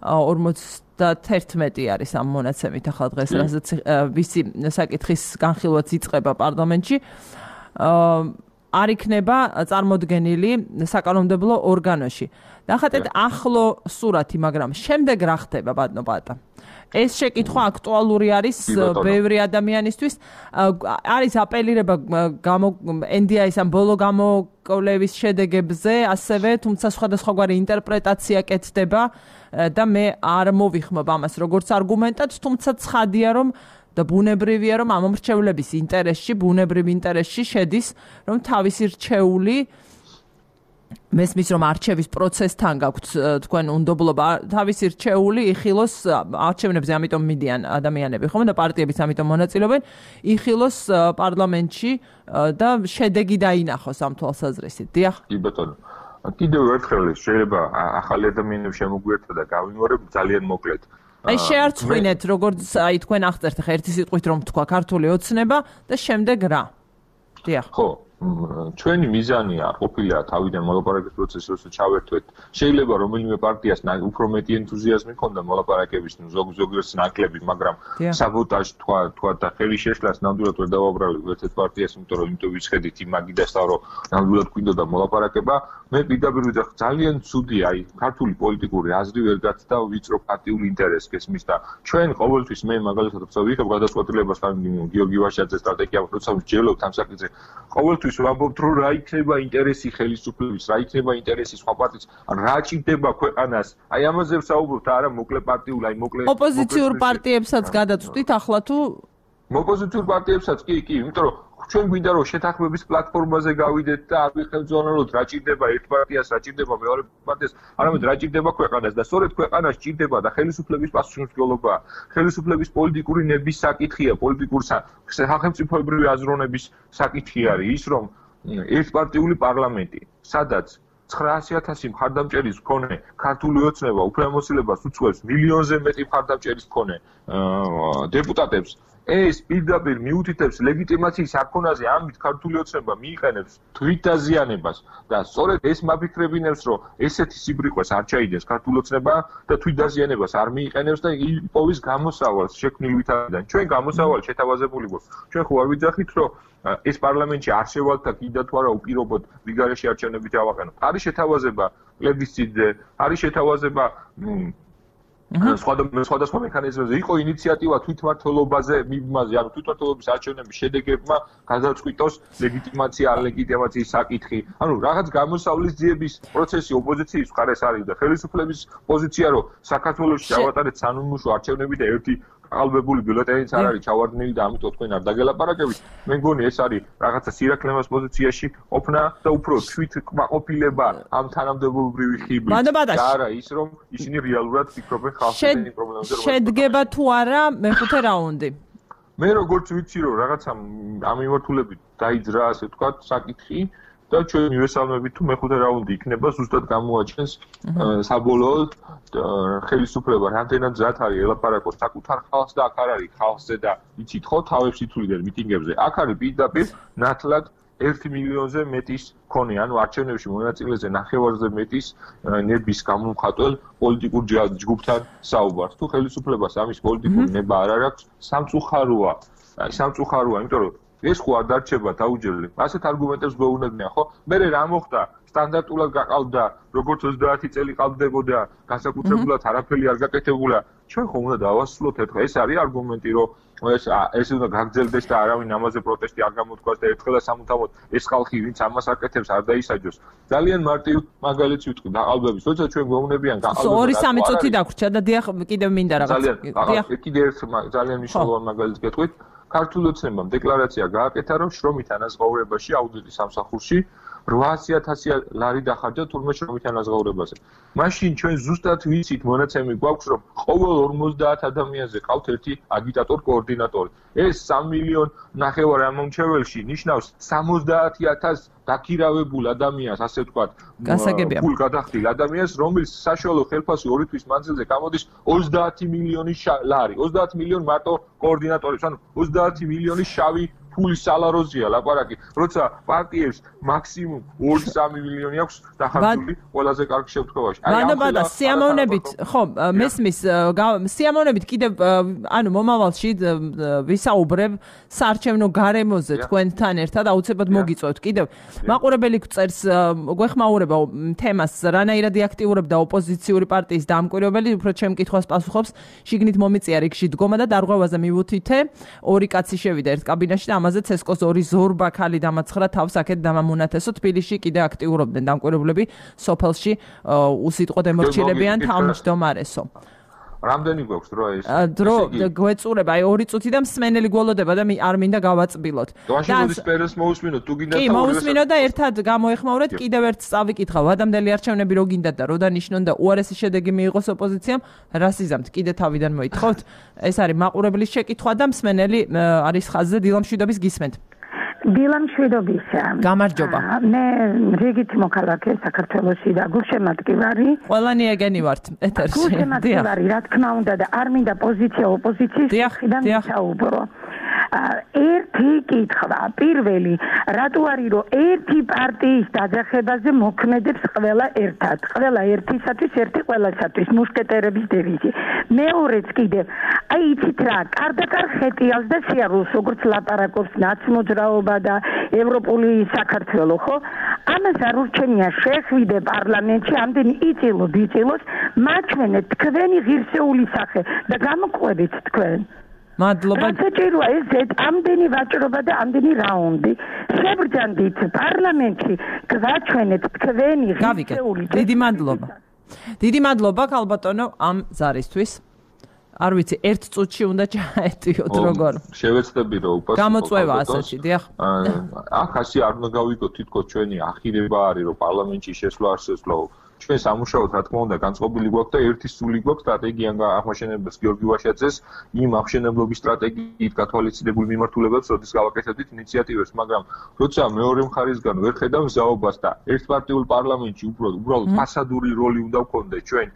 51 არის ამ მონაცემით ახლა დღეს, რასაც ვისი საკითხის განხილვაც იწყება პარლამენტში. არ იქნება წარმოდგენილი საკანონმდებლო ორგანოში. ნახატეთ ახლო სურათი, მაგრამ შემდეგ რა ხდება ბატონო პატა? ეს შეკითხვა აქტუალური არის ბევრი ადამიანისთვის. არის აპელირება NDI-ის ამ ბოლო გამოკვლევის შედეგებზე, ასევე თუმცა სხვადასხვაგვარი ინტერპრეტაცია კეთდება და მე არ მოვიხმობ ამას როგორც არგუმენტად, თუმცა ცხადია რომ და ბუნებრივია რომ ამ მრჩევლების ინტერესში, ბუნებრივ ინტერესში შედის, რომ თავისი რჩეული მესმის რომ არჩევის პროცესთან გაქვთ თქვენ უნდობლობა თავისი რჩეული იხილოს არჩევნებზე, ამიტომ მიდიან ადამიანები ხომ და პარტიებიც ამიტომ მონაწილეობენ, იხილოს პარლამენტში და შედეგი დაინახოს ამ თვალსაზრისით. დიახ. კი ბატონო. კიდევ ერთხელ შეიძლება ახალი ადამიანები შემოგვიერთდა და გავიმეორებ ძალიან მოკლედ. აი შეარწმუნეთ როგორც აი თქვენ აღწერთ ხა ერთი სიტყვით რომ თქვა ქართული ოცნება და შემდეგ რა. დიახ. ხო, ჩვენი მიზანი არ ყოფილა თავიდან მოლაპარაკების პროცესში როცა ჩავერთვეთ. შეიძლება რომელიმე პარტიას უფრო მეტი ენთუზიაზმი ჰქონდა მოლაპარაკების, ზოგიერთს ნაკლები, მაგრამ საბოტაჟი თქვა და ხელი შეშლას ნამდვილად ვერ დავაბრალებ ერთ პარტიას, იმიტომ ვიცხედით იმაგიდასთან რომ ნამდვილად გვინდოდა მოლაპარაკება. მე პირდაპირ ვიძახ ძალიან ცუდია, აი ქართული პოლიტიკური აზრი ვერ გაცდა ვიწრო პარტიული ინტერესს გესმის და ჩვენ ყოველთვის მე მაგალითად როცა ვიღებ გადაწყვეტილებას ან გიორგი ვაშაძეს სტრატეგია როცა ვსჯელობთ ამ საკითხზე, ყოველთვის ყოველთვის ვამბობთ, რომ რა იქნება ინტერესი ხელისუფლების, რა იქნება ინტერესი სხვა პარტიის, რა ჭირდება ქვეყანას. აი ამაზე ვსაუბრობთ, არა მოკლე პარტიულ, აი მოკლე ოპოზიციურ პარტიებსაც გადაწყვიტით ახლა თუ ოპოზიციურ პარტიებსაც კი, იმიტომ რომ ჩვენ გვინდა რომ შეთანხმების პლატფორმაზე გავიდეთ და არ ვიხელმძღვანელოთ რა ჭირდება ერთ პარტიას, რა ჭირდება მეორე პარტიას, არამედ რა ჭირდება ქვეყანას და სწორედ ქვეყანას ჭირდება და ხელისუფლების პასუხისმგებლობა, ხელისუფლების პოლიტიკური ნების საკითხია, პოლიტიკური სახელმწიფოებრივი აზროვნების საკითხი არის ის, რომ ერთპარტიული პარლამენტი, სადაც 900,000 მხარდამჭერის მქონე ქართული ოცნება უფლებამოსილებას უწევს მილიონზე მეტი მხარდამჭერის მქონე დეპუტატებს ეს პირდაპირ მიუთითებს ლეგიტიმაციის არქონაზე ამით ქართული ოცნება მიიყენებს თვით დაზიანებას და სწორედ ეს მაფიქრებინებს რომ ესეთი სიბრიყვეს არ ჩაიდეს ქართული ოცნება და თვით დაზიანებას არ მიიყენებს და იპოვის გამოსავალს შექმნილ ვითარებიდან ჩვენ გამოსავალი შეთავაზებული გვაქვს ჩვენ ხო არ ვიძახით რომ ეს პარლამენტში არ შევალთ და კიდევ თუ არა უპირობოდ ვიგარეში არჩევნებით ავაყენოთ არის შეთავაზება პლებისციტზე არის შეთავაზება სხვადასხვა მექანიზმებზე იყო ინიციატივა თვითმმართველობაზე მიმაზე, ანუ თვითმმართველობის არჩევნების შედეგებმა გადაწყვიტოს ლეგიტიმაცია, არ ლეგიტიმაციის საკითხი. ანუ რაღაც გამოსავლის ძიების პროცესი ოპოზიციის მხარეს არის და ხელისუფლების პოზიცია, რომ საქართველოში ჩავატარეთ სანონიმუშო არჩევნები და ერთი ყალბებული ბიულეტენიც არ არის ჩავარდნილი და ამიტომ თქვენ არ დაგელაპარაკებით. მე მგონი ეს არის რაღაცა სირაქლემას პოზიციაში ყოფნა და უფრო თვით კმაყოფილება ამ თანამდებობრივი ხიბლით. და არა ის რომ ისინი რეალურად ფიქრობენ ხალხის პრობლემებზე. შედგება თუ არა მეხუთე რაუნდი. მე როგორც ვიცი რომ რაღაცა ამ მიმართულებით დაიძრა ასე ვთქვათ საკითხი და ჩვენ მივესალმებით თუ მეხუთე რაუნდი იქნება ზუსტად გამოაჩენს საბოლოოდ ხელისუფლება რამდენად მზად არის ელაპარაკოს საკუთარ ხალხს და აქ არ არის ხალხზე და იცით ხო თავებს ითვლიდნენ მიტინგებზე აქ არის პირდაპირ ნათლად 1 მილიონზე მეტის მქონე ანუ არჩევნებში მონაწილეზე 9-ზე მეტის ნების გამომხატველ პოლიტიკურ ჯგუფთან საუბარს თუ ხელისუფლებას ამის პოლიტიკური ნება არ აქვს სამწუხაროა იმიტომ რომ ეს ხო არ დარჩება დაუჯერლე. ასეთ არგუმენტებს გვეუბნებიან, ხო? მე რა მოხდა? სტანდარტულად გაყავდა, როგორც 30 წელი ყავდებოდა, განსაკუთრებულად არაფერი არ გაკეთებულა. ჩვენ ხომ უნდა დავასრულოთ ერთხელ. ეს არის არგუმენტი, რომ ეს უნდა გაგრძელდეს და არავინ ამაზე პროტესტი არ გამოთქვას და ერთხელაც სამუდამოდ ეს ხალხი, ვინც ამას აკეთებს, არ დაისაჯოს. ძალიან მარტივ მაგალითს ვიტყვი დაყალბების. როცა ჩვენ გვეუბნებიან გაყალბება. 2-3 წუთი დაგვრჩა და დიახ, კიდევ მინდა რაღაც. დიახ, კიდევ ერთ ძალიან მნიშვნელოვან მაგალითს გეტყვით. ქართული ოცნებამ დეკლარაცია გააკეთა, რომ შრომით ანაზღაურებაში აუდიტის სამსახურში 800,000 ლარი დახარჯა თურმე შრომით ანაზღაურებაზე. მაშინ ჩვენ ზუსტად ვიცით მონაცემი გვაქვს, რომ ყოველ 50 ადამიანზე ყავთ ერთი აგიტატორ კოორდინატორი. ეს 3,5 მილიონ ამომრჩეველში ნიშნავს 70,000 დაქირავებულ ადამიანს, ასე ვთქვათ, ფულ გადახდილ ადამიანს, რომელიც საშუალო ხელფასი 2 თვის მანძილზე გამოდის 30 მილიონი ლარი. 30 მილიონი მარტო კოორდინატორებს, ანუ 30 მილიონი შავი ფულის სალაროზია ლაპარაკი, როცა პარტიებს მაქსიმუმ 2-3 მილიონი აქვს დახარჯული ყველაზე კარგ შემთხვევაში. ბანაბადა სიამოვნებით, ხო, მესმის სიამოვნებით კიდევ ანუ მომავალში ვისაუბრებ საარჩევნო გარემოზე თქვენთან ერთად აუცილებლად მოგიწევთ კიდევ. მაყურებელი წერს გვეხმაურება თემას რანაირად აქტიურებდა ოპოზიციური პარტიის დამკვირვებელი, უფრო ჩემ კითხვას პასუხობს, შიგნით მომიწია რიგში დგომა და დარღვევაზე მივუთითე, 2 კაცი შევიდა ერთ კაბინაში და ამაზე ცესკოს 2 ზორბა ქალი დამაცხრა თავს აქეთ დამამონათესო თბილისში კიდე აქტიურობდნენ დამკვირვებლები სოფელში უსიტყვო დემორჩილებიან თავმჯდომარესო. რამდენი გვაქვს დრო ეს? დრო გვეწურება აი 2 წუთი და მსმენელი გველოდება და არ მინდა გავაწბილოთ. და სპერეს მოусმინოთ თუ გინდათ კი მოусმინოთ და ერთად გამოეხმაურეთ კიდევ ერთ წავიკითხავ ადამიანელი არჩევნები რო გინდათ და რო დანიშნონ და უარესი შედეგი მიიღოს ოპოზიციამ რა სიზამთ კიდე თავიდან მოითხოვთ ეს არის მაყურებლის შეკითხვა და მსმენელი არის ხაზზე დილამშვიდობის გისმენთ. დილამშვიდობისა. გამარჯობა. მე რიგით მოქალაქე საქართველოში და გულშემატკი ვარი. ყველანი ეგენი ვართ ეთერში. გულშემატკი ვარი, რა თქმა უნდა და არ მინდა პოზიცია ოპოზიციის მხრიდან ვისაუბრო. ერთი კითხვა, პირველი, რატო არის რომ ერთი პარტიის დაძახებაზე მოქმედებს ყველა ერთად, ყველა ერთისათვის, ერთი ყველასათვის, მუშკეტერების დევიზი. მეორეც კიდევ, აი იცით რა, კარდაკარ ხეტიალს და სიარულს, როგორც ლაპარაკობს ნაცმოძრაობა და ევროპული საქართველო, ხო? ამას არ ურჩენია შეხვიდე პარლამენტში, ამდენი იწილოს, მაჩვენეთ თქვენი ღირსეული სახე და გამოყვებით თქვენ. მადლობა. საჭიროა ეს ამდენი ვაჭრობა და ამდენი რაუნდი. შებრძანდით პარლამენტში გვაჩვენეთ თქვენი ღირსეული. დიდი მადლობა ქალბატონო ამ ზარისთვის. არ ვიცი, ერთ წუთში უნდა ჩაეტიოთ როგორ. შევეცდები რომ უპასუხო. გამოწვევა ასეთი, დიახ. აქ ასე არ უნდა გავიგოთ თითქოს ჩვენი ახირება არის რომ პარლამენტში შესვლა არ შესვლაო. ჩვენ სამუშაოდ რა თქმა უნდა განწყობილი გვაქვს და ერთი სული გვაქვს სტრატეგია აღმაშენებელს გიორგი ვაშაძეს იმ აღმშენებლობის სტრატეგიით გათვალისწინებულ მიმართულებებს როდის გავაკეთებდით ინიციატივებს, მაგრამ როცა მეორე მხარისგან ვერ ხედავ ზაობას და ერთპარტიულ პარლამენტში უბრალოდ ფასადური როლი უნდა გქონდეს ჩვენ,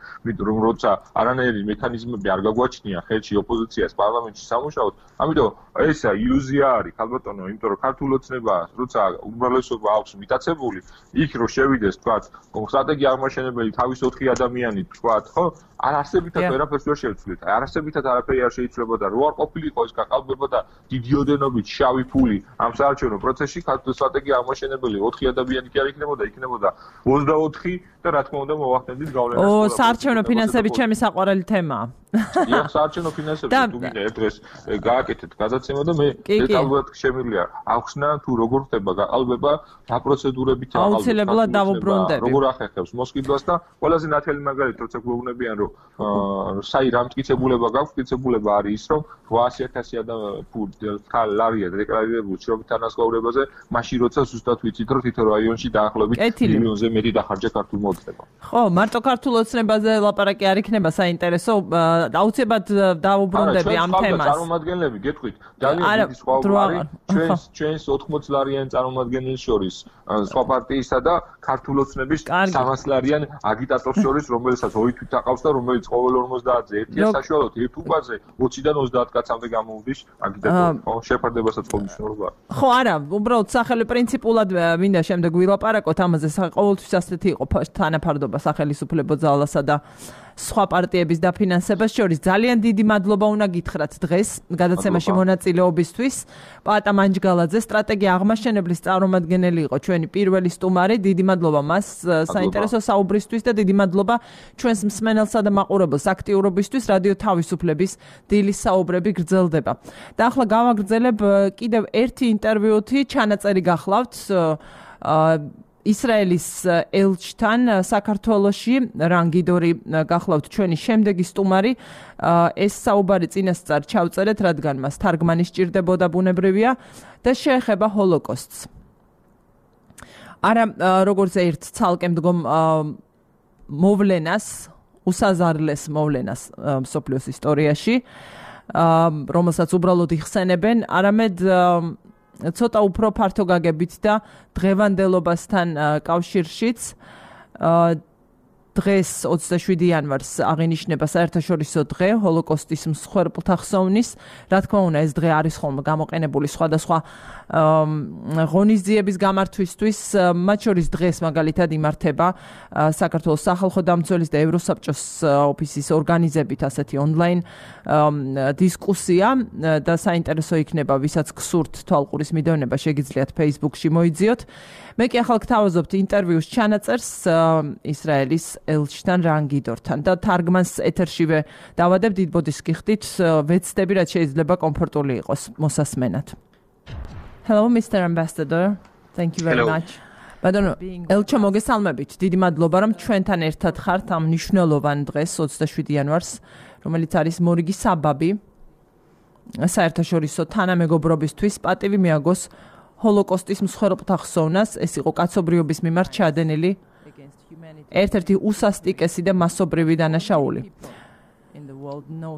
რომ როცა არანაირი მექანიზმები არ გაგვაჩნია ხელში ოპოზიციას პარლამენტში სამუშაოდ, ამიტომ ესა ილუზია არის ქალბატონო, იმიტომ რომ ქართულ ოცნებას როცა უმრავლესობა აქვს მიტაცებული, იქ რო შევიდეს თქვა სტრატეგია აღმაშენებელი თავის 4 ადამიანი თქვათ, ხო? არასებითად ვერაფერს ვერ შევცვლით. არასებითად არაფერი არ შეიძლება და რო არ ყოფილიყო ეს გაყალბება და დიდი ოდენობით შავი ფული ამ საარჩევნო პროცესში ქართულ სტრატეგია აღმაშენებელი 4 ადამიანი კი არ იქნებოდა 24 და რა თქმა უნდა მოვახდენდით გავლენას. საარჩევნო ფინანსები ჩემი საყვარელი თემაა. დიახ, საარჩევნო ფინანსები თუ გინდა ერთ დღეს გააკეთეთ გადაცემა და მე დეტალურად შემიძლია ახსნა თუ როგორ ხდება გაყალბება, რა პროცედურებით აუცილებლად დავუბრუნდები. როგორ ახერხებს მოსყიდვას და ყველაზე ნათელი მაგალითი როცა გვეუბნებიან რომ საი რა მტკიცებულება გაქვს, მტკიცებულება არის ის რომ 800,000 ლარია დეკლარირებული შრომით თანასწორობაზე, მაშინ როცა ზუსტად ვიცით რომ თითო რაიონში დაახლოებით მილიონზე მეტი დახარჯა ქართულ მოწნებამ. ხო, მარტო ქართულ ოცნებაზე ლაპარაკი არ იქნება საინტერესო, აუცილებლად დავუბრუნდები ამ თემას. წარმომადგენლები, გეტყვით, ძალიან დიდი სხვაობა არის ჩვენს 80 ლარიან წარმომადგენელს შორის, სხვა პარტიისა და ქართულ ოცნების 300 ლარიან აგიტატორს შორის, რომელსაც ორი თვით აყავს და რომელიც ყოველ 50-ზე ერთია საშუალოდ ერთ უკაზე 20-დან 30 კაცამდე გამოვდის აგიტატორი. ხო, შეფარდებასაც ხომისნორობა. ხო, არა, უბრალოდ სახელი პრინციპულად მინდა შემდეგ ვილაპარაკოთ ამაზე, ყოველთვის ასეთი იყო თანაფარდობა სახელმწიფო ძალასა და სხვა პარტიების დაფინანსებას შორის. ძალიან დიდი მადლობა უნდა გითხრათ დღეს გადაცემაში მონაწილეობისთვის. პატა მანჯგალაძე, სტრატეგია აღმაშენებლის წარმომადგენელი იყო ჩვენი პირველი სტუმარი. დიდი მადლობა მას საინტერესო საუბრისთვის და დიდი მადლობა ჩვენს მსმენელსა და მაყურებელს აქტიურობისთვის. რადიო თავისუფლების დილის საუბრები გრძელდება. და ახლა გავაგრძელებ კიდევ ერთი ინტერვიუთი, ჩანაწერი გახლავთ ისრაელის ელჩთან საქართველოში რანგიდორი გახლავთ ჩვენი შემდეგი სტუმარი. ეს საუბარი წინასწარ ჩავწერეთ, რადგან მას თარგმანი სჭირდებოდა ბუნებრივია და შეეხება ჰოლოკოსტს. არა როგორც ერთ ცალკე მდგომ მოვლენას, უსაზარლეს მოვლენას მსოფლიოს ისტორიაში, რომელსაც უბრალოდ იხსენებენ, არამედ ცოტა უფრო ფართო გაგებით და დღევანდელობასთან კავშირშიც. დღეს 27 იანვარს აღინიშნება საერთაშორისო დღე ჰოლოკოსტის მსხვერპლთა ხსოვნის. რა თქმა უნდა, ეს დღე არის ხოლმე გამოყენებული სხვადასხვა ღონისძიების გამართვისთვის, მათ შორის დღეს მაგალითად იმართება საქართველოს სახალხო დამცველის და ევროსაბჭოს ოფისის ორგანიზებით ასეთი ონლაინ დისკუსია და საინტერესო იქნება, ვისაც გსურთ თვალყურის მიდევნება, შეგიძლიათ Facebook-ში მოიძიოთ. მე კი ახლა გთავაზობთ ინტერვიუს ჩანაწერს ისრაელის ელჩთან რანგიდორთან და თარგმანს ეთერშივე დავადებ, დიდ ბოდიშს გიხდით, ვეცდები რაც შეიძლება კომფორტული იყოს მოსასმენად. Hello, Mr. Ambassador. Thank you very much. ბატონო, ელჩო მოგესალმებით. დიდი მადლობა, რომ ჩვენთან ერთად ხართ ამ მნიშვნელოვან დღეს, 27 იანვარს, რომელიც არის მორიგი საბაბი საერთაშორისო თანამეგობრობისთვის. პატივი მიაგოს ჰოლოკოსტის მსხვერპლთა ხსოვნას. ეს იყო კაცობრიობის მიმართ ჩადენილი ერთ-ერთი უსასტიკესი და მასობრივი დანაშაული.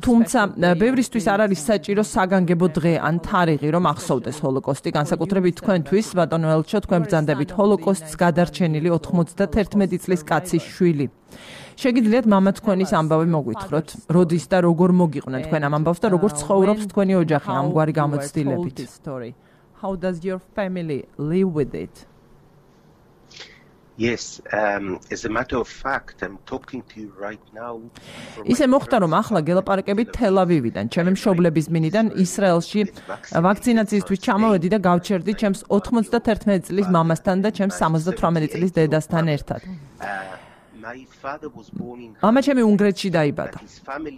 თუმცა ბევრისთვის არ არის საჭირო საგანგებო დღე ან თარიღი, რომ ახსოვდეს ჰოლოკოსტი, განსაკუთრებით თქვენთვის, ბატონო ელჩო, თქვენ ბრძანდებით ჰოლოკოსტს გადარჩენილი 91 წლის კაცის შვილი. შეგიძლიათ მამა თქვენის ამბავი მოგვითხროთ, როდის და როგორ მოგიყვნენ თქვენ ამ ამბავს და როგორ ცხოვრობს თქვენი ოჯახი ამგვარი გამოცდილებით? How does your family live with it? Yes, as a matter of fact, I'm talking to you right now. ისე მოხდა, რომ ახლა გელაპარაკებით თელ-ავივიდან, ჩემი მშობლების მინიდან ისრაელში ვაქცინაციისთვის ჩამოვედი და გავჩერდი ჩემს 91 წლის მამასთან და ჩემს 78 წლის დედასთან ერთად. მამაჩემი უნგრეთში დაიბადა.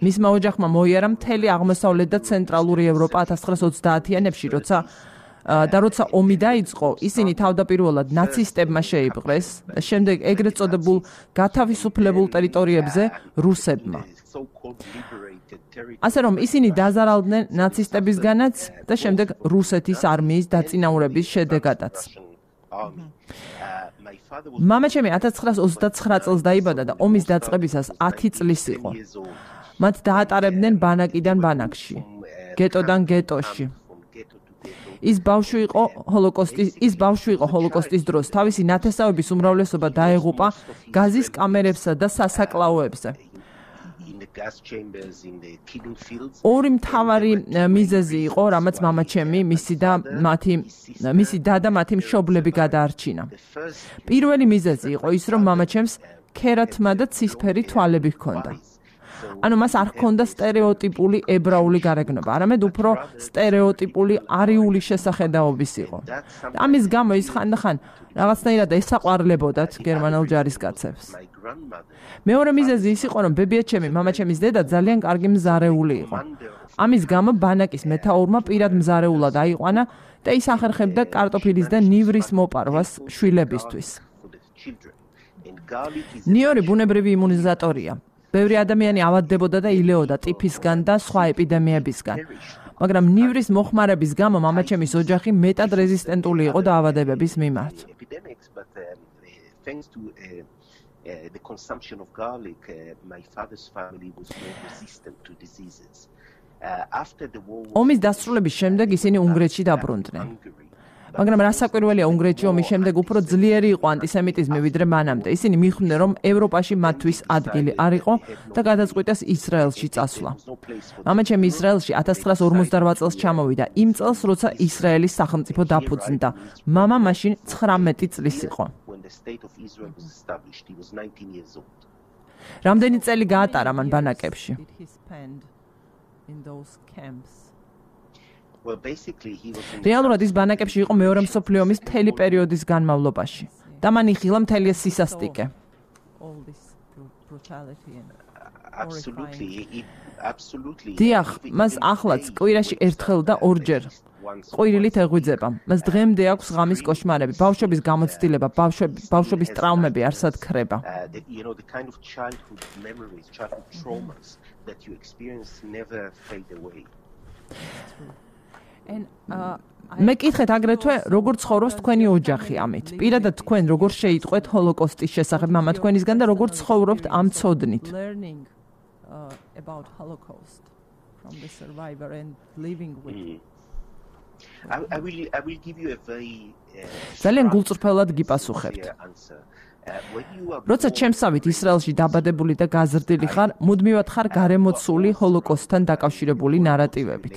მისმა ოჯახმა მოიარა მთელი აღმოსავლეთ და ცენტრალური ევროპა 1930-იანებში, როცა ომი დაიწყო, ისინი თავდაპირველად ნაცისტებმა შეიპყრეს და შემდეგ ეგრეთ წოდებულ გათავისუფლებულ ტერიტორიებზე რუსებმა. ასე რომ ისინი დაზარალდნენ ნაცისტებისგანაც და შემდეგ რუსეთის არმიის დაწინაურების შედეგადაც. მამაჩემი 1929 წელს დაიბადა და ომის დაწყებისას 10 წლის იყო. მათ დაატარებდნენ ბანაკიდან ბანაკში, გეტოდან გეტოში. ის ბავშვი იყო ჰოლოკოსტის დროს. თავისი ნათესავების უმრავლესობა დაეღუპა გაზის კამერებსა და სასაკლაოებზე. ორი მთავარი მიზეზი იყო, რამაც მამაჩემი, მისი და და მათი მშობლები გადაარჩინა. პირველი მიზეზი იყო ის, რომ მამაჩემს ქერათმა და ცისფერი თვალები ჰქონდა. ანუ მას არ ჰქონდა სტერეოტიპული ებრაული გარეგნობა, არამედ უფრო სტერეოტიპული არიული შესახედაობის იყო. ამის გამო ის ხანდახან რაღაცნაირად ესაყვარლებოდათ გერმანელ ჯარისკაცებს. მეორე მიზეზი ის იყო, რომ ბებიაჩემი, მამაჩემის დედა ძალიან კარგი მზარეული იყო. ამის გამო ბანაკის მეთაურმა პირად მზარეულად აიყვანა და ის ახერხებდა კარტოფილის და ნივრის მოპარვას შვილებისთვის. ნიორი ბუნებრივი იმუნიზატორია. ბევრი ადამიანი ავადდებოდა და ილეოდა ტიფისგან და სხვა ეპიდემიებისგან. მაგრამ ნივრის მოხმარების გამო მამაჩემის ოჯახი მეტად რეზისტენტული იყო დაავადებების მიმართ. The consumption of garlic, my father's family was more resistant to diseases. After the war, ომის დასრულების შემდეგ ისინი უნგრეთში დაბრუნდნენ. მაგრამ რასაკვირველია, უნგრეთში ომის შემდეგ უფრო ძლიერი იყო ანტისემიტიზმი ვიდრე მანამდე. ისინი მიხვდნენ, რომ ევროპაში მათთვის ადგილი არ იყო და გადაწყვიტეს ისრაელში წასვლა. მამაჩემი ისრაელში 1948 წელს ჩამოვიდა, იმ წელს, როცა ისრაელის სახელმწიფო დაფუძნდა. მამა მაშინ 19 წლის იყო. რამდენი წელი გაატარა მან ბანაკებში? რეალურად ის ბანაკებში იყო მეორე მსოფლიო ომის მთელი პერიოდის განმავლობაში და მან იხილა მთელი ეს სისასტიკე. დიახ, მას ახლაც კვირაში ერთხელ და ორჯერ ყვირილით ეღვიძება. მას დღემდე აქვს ღამის კოშმარები, ბავშვების გამოცდილება, ბავშვების ტრავმები არსად ქრება. მე კითხეთ აგრეთვე, როგორ ცხოვრობს თქვენი ოჯახი ამით. პირადად თქვენ როგორ შეიტყვეთ ჰოლოკოსტის შესახებ მამა თქვენისგან და როგორ ცხოვრობთ ამ ცოდნით? ძალიან გულწრფელად გიპასუხებთ. როცა ჩემსავით ისრაელში დაბადებული და გაზრდილი ხარ, მუდმივად ხარ გარემოცული ჰოლოკოსტთან დაკავშირებული ნარატივებით.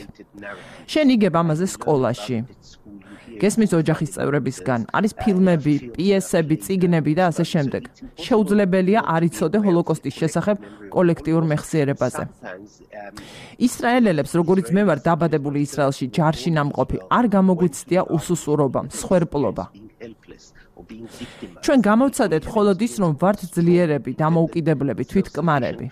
შენ იგებ ამაზე სკოლაში. გესმის ოჯახის წევრებისგან, არის ფილმები, პიესები, წიგნები და ასე შემდეგ. შეუძლებელია არ იცოდე ჰოლოკოსტის შესახებ კოლექტიურ მეხსიერებაზე. ისრაელელებს, როგორიც მე ვარ დაბადებული ისრაელში, ჯარში ნამყოფი, არ გამოგვიცდია უსუსურობა, მსხვერპლობა. ჩვენ გამოვცადეთ მხოლოდ ის, რომ ვართ ძლიერები, დამოუკიდებლები, თვითკმარები.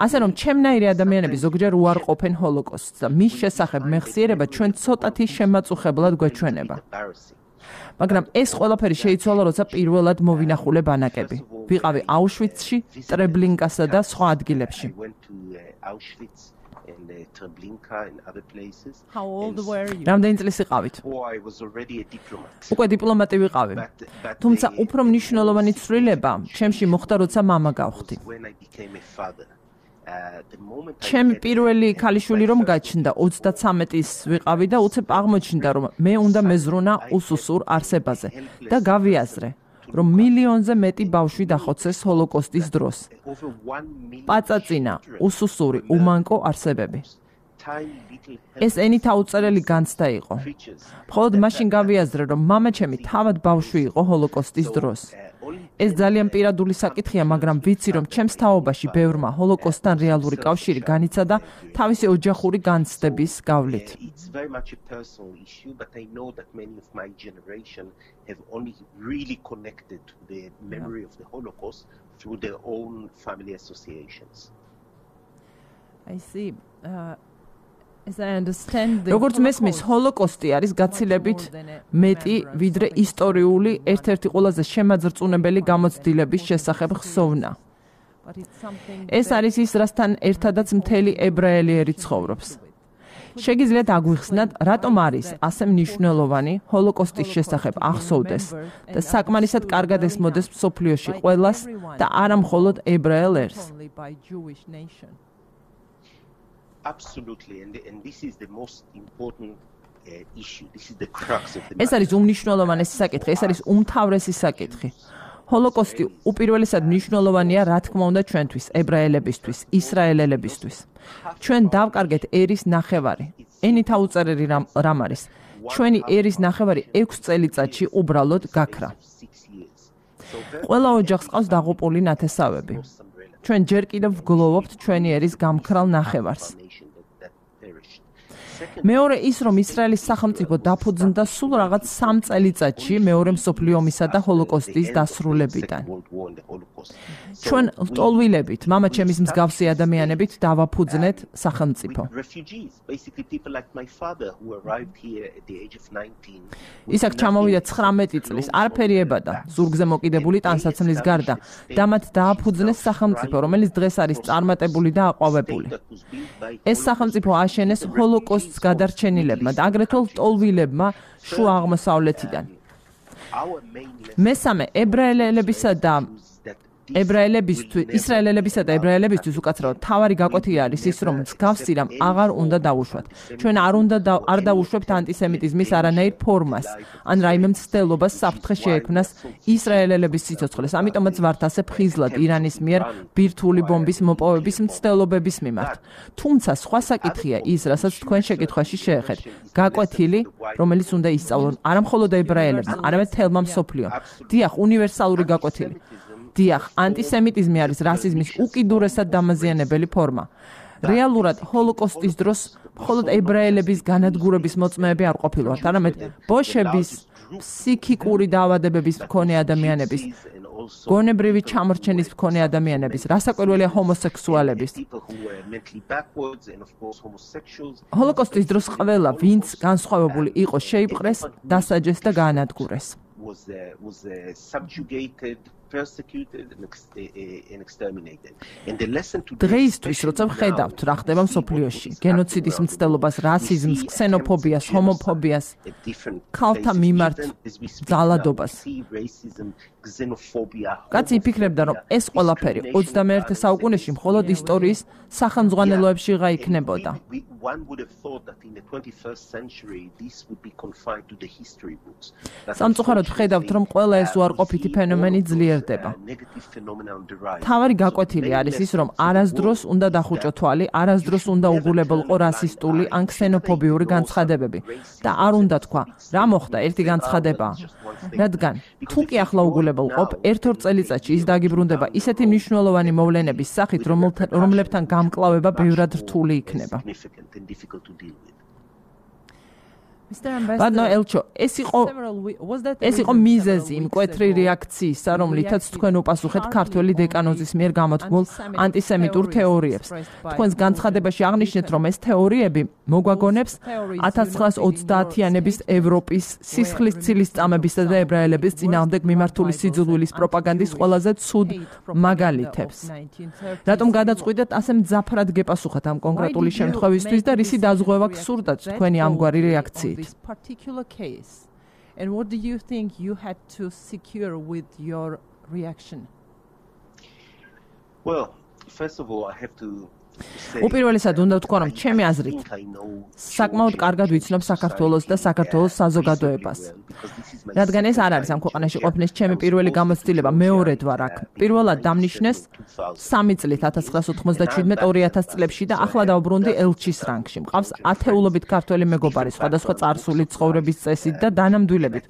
ასე რომ ჩემნაირი ადამიანები ზოგჯერ უარყოფენ ჰოლოკოსტს და მის შესახებ მეხსიერება ჩვენ ცოტათი შემაწუხებლად გვეჩვენება. მაგრამ ეს ყველაფერი შეიცვალა, როცა პირველად მოვინახულე ბანაკები. ვიყავი აუშვიცში, ტრებლინკასა და სხვა ადგილებში. რამდენი წლის იყავით? უკვე დიპლომატი ვიყავი. თუმცა უფრო მნიშვნელოვანი ცვლილება ჩემში მოხდა, როცა მამა გავხდი. ჩემი პირველი ქალიშვილი რომ გაჩნდა, 33-ის ვიყავი და უცებ აღმოჩნდა, რომ მე უნდა მეზრუნა უსუსურ არსებაზე და გავიაზრე, რომ მილიონზე მეტი ბავშვი დახოცეს ჰოლოკოსტის დროს. პაწაწინა, უსუსური, უმანკო არსებები. ეს ენით აუწერელი განცდა იყო. მხოლოდ მაშინ გავიაზრე, რომ მამაჩემი თავად ბავშვი იყო ჰოლოკოსტის დროს. ეს ძალიან პირადული საკითხია, მაგრამ ვიცი, რომ ჩემს თაობაში ბევრმა ჰოლოკოსტთან რეალური კავშირი განიცადა თავისი ოჯახური განცდების გავლით. have only really connected the memory of the Holocaust through their own family associations. I see. As I understand, როგორც მესმის, ჰოლოკოსტი არის გაცილებით მეტი, ვიდრე ისტორიული ერთ-ერთი ყველაზე შემაძრწუნებელი გამოცდილების შესახებ ხსოვნა. ეს არის ის, რასთან ერთადაც მთელი ებრაელი ერი ცხოვრობს. შეგიძლიათ აგვიხსნათ, რატომ არის ასე მნიშვნელოვანი ჰოლოკოსტის შესახებ ახსოვდეს და საკმარისად კარგად ესმოდეს მსოფლიოში ყველას და არა მხოლოდ ებრაელ ერს. Absolutely, and this is the most important issue. This is the crux of the matter. ეს არის უმნიშვნელოვანესი საკითხი, ეს არის უმთავრესი საკითხი. ჰოლოკოსტი უპირველესად მნიშვნელოვანია, რა თქმა უნდა, ჩვენთვის, ებრაელებისთვის, ისრაელელებისთვის. ჩვენ დავკარგეთ ერის ნახევარი. ენით აუწერელი რამ არის? ჩვენი ერის ნახევარი 6 წელიწადში უბრალოდ გაქრა. ყველა ოჯახს ყავს დაღუპული ნათესავები. ჩვენ ჯერ კიდევ ვგლოვობთ ჩვენი ერის გამქრალ ნახევარს. მეორე ის, რომ ისრაელის სახელმწიფო დაფუძნდა სულ რაღაც 3 წელიწადში მეორე მსოფლიო ომისა და ჰოლოკოსტის დასრულებიდან. ჩვენ ლტოლვილებით, მამაჩემის მსგავსი ადამიანებით დავაფუძნეთ სახელმწიფო. ის აქ ჩამოვიდა 19 წლის, არაფერი ებადა, ზურგზე მოკიდებული ტანსაცმლის გარდა და მათ დააფუძნეს სახელმწიფო, რომელიც დღეს არის წარმატებული და აყვავებული. ეს სახელმწიფო აშენეს ჰოლოკოსტის გადარჩენილებმა და აგრეთვე ლტოლვილებმა შუა აღმოსავლეთიდან. მესამე, ისრაელებისა და ებრაელებისთვის უკაცრავად თავარი გაკვეთილი არის ის, რომ მსგავსი რამ აღარ უნდა დავუშვათ. ჩვენ არ დავუშვებთ ანტისემიტიზმის არანაირ ფორმას, ან რაიმე მცდელობას საფრთხე შეექმნას ისრაელელების სიცოცხლეს. ამიტომაც ვართ ასე ფხიზლად ირანის მიერ ბირთვული ბომბის მოპოვების მცდელობების მიმართ. თუმცა სხვა საკითხია ის, რასაც თქვენ შეკითხვაში შეეხეთ. გაკვეთილი, რომელიც უნდა ისწავლონ არა მხოლოდ ებრაელებმა, არამედ მთელმა მსოფლიომ. დიახ, უნივერსალური გაკვეთილი. დიახ, ანტისემიტიზმი არის რასიზმის უკიდურესად დამაზიანებელი ფორმა. რეალურად ჰოლოკოსტის დროს მხოლოდ ებრაელების განადგურების მოწმეები არ ყოფილვართ, არამედ ბოშების, ფსიქიკური დაავადებების მქონე ადამიანების, გონებრივი ჩამორჩენის მქონე ადამიანების, რასაკვირველია ჰომოსექსუალების. ჰოლოკოსტის დროს ყველა, ვინც განსხვავებული იყო, შეიპყრეს, დასაჯეს და გაანადგურეს. was subjugated, persecuted and exterminated. And the lesson to დღეისთვის, როცა ვხედავთ, რა ხდება მსოფლიოში, გენოციდის მცდელობას, რასიზმს, ქსენოფობიას, ჰომოფობიას, ქალთა მიმართ ძალადობას. კაცი იფიქრებდა, რომ ეს ყველაფერი 21 საუკუნეში მხოლოდ ისტორიის სახელმძღვანელოებში იქნებოდა. სამწუხაროდ ვხედავთ, რომ ყველა ეს უარყოფითი ფენომენი ძლიერდება. თავარი გაკვეთილი არის ის, რომ არასდროს უნდა დახუჭო თვალი, არასდროს უნდა უგულებელყო რასისტული ან ქსენოფობიური განცხადებები და არ უნდა თქვა, რა მოხდა, ერთი განცხადებაა. რადგან თუ კი ახლა უგულებელყოფ, ერთ-ორ წელიწადში ის დაგიბრუნდება ისეთი მნიშვნელოვანი მოვლენების სახით, რომლებთან გამკლავება ბევრად რთული იქნება. ბატონო ელჩო, ეს იყო მიზეზი იმ მკვეთრი რეაქციისა, რომლითაც თქვენ უპასუხეთ ქართველი დეკანოზის მიერ გამოთქმულ ანტისემიტურ თეორიებს. თქვენს განცხადებაში აღნიშნეთ, რომ ეს თეორიები მოგვაგონებს 1930-იანების ევროპის სისხლის ცილისწამებისა და ებრაელების წინააღმდეგ მიმართული სიძულვილის პროპაგანდის ყველაზე ცუდ მაგალითებს. რატომ გადაწყვიტეთ ასე მძაფრად გეპასუხათ ამ კონკრეტული შემთხვევისთვის და რისი დაზღვევა გსურდათ თქვენი ამგვარი რეაქციით? This particular case, and what do you think you had to secure with your reaction? Well, first of all, I have to უპირველესად უნდა ვთქვა, რომ ჩემი აზრით საკმაოდ კარგად ვიცნობ საქართველოს და საქართველოს საზოგადოებას. რადგან ეს არ არის ამ ქვეყანაში ყოფნის ჩემი პირველი გამოცდილება, მეორედ ვარ აქ. პირველად დამნიშნეს 3 წლით 1997-2000 წლებში და ახლა დავბრუნდი ელჩის რანგში. მყავს ათეულობით ქართველი მეგობარი სხვადასხვა წარსული ცხოვრების წესით და დანამდვილებით.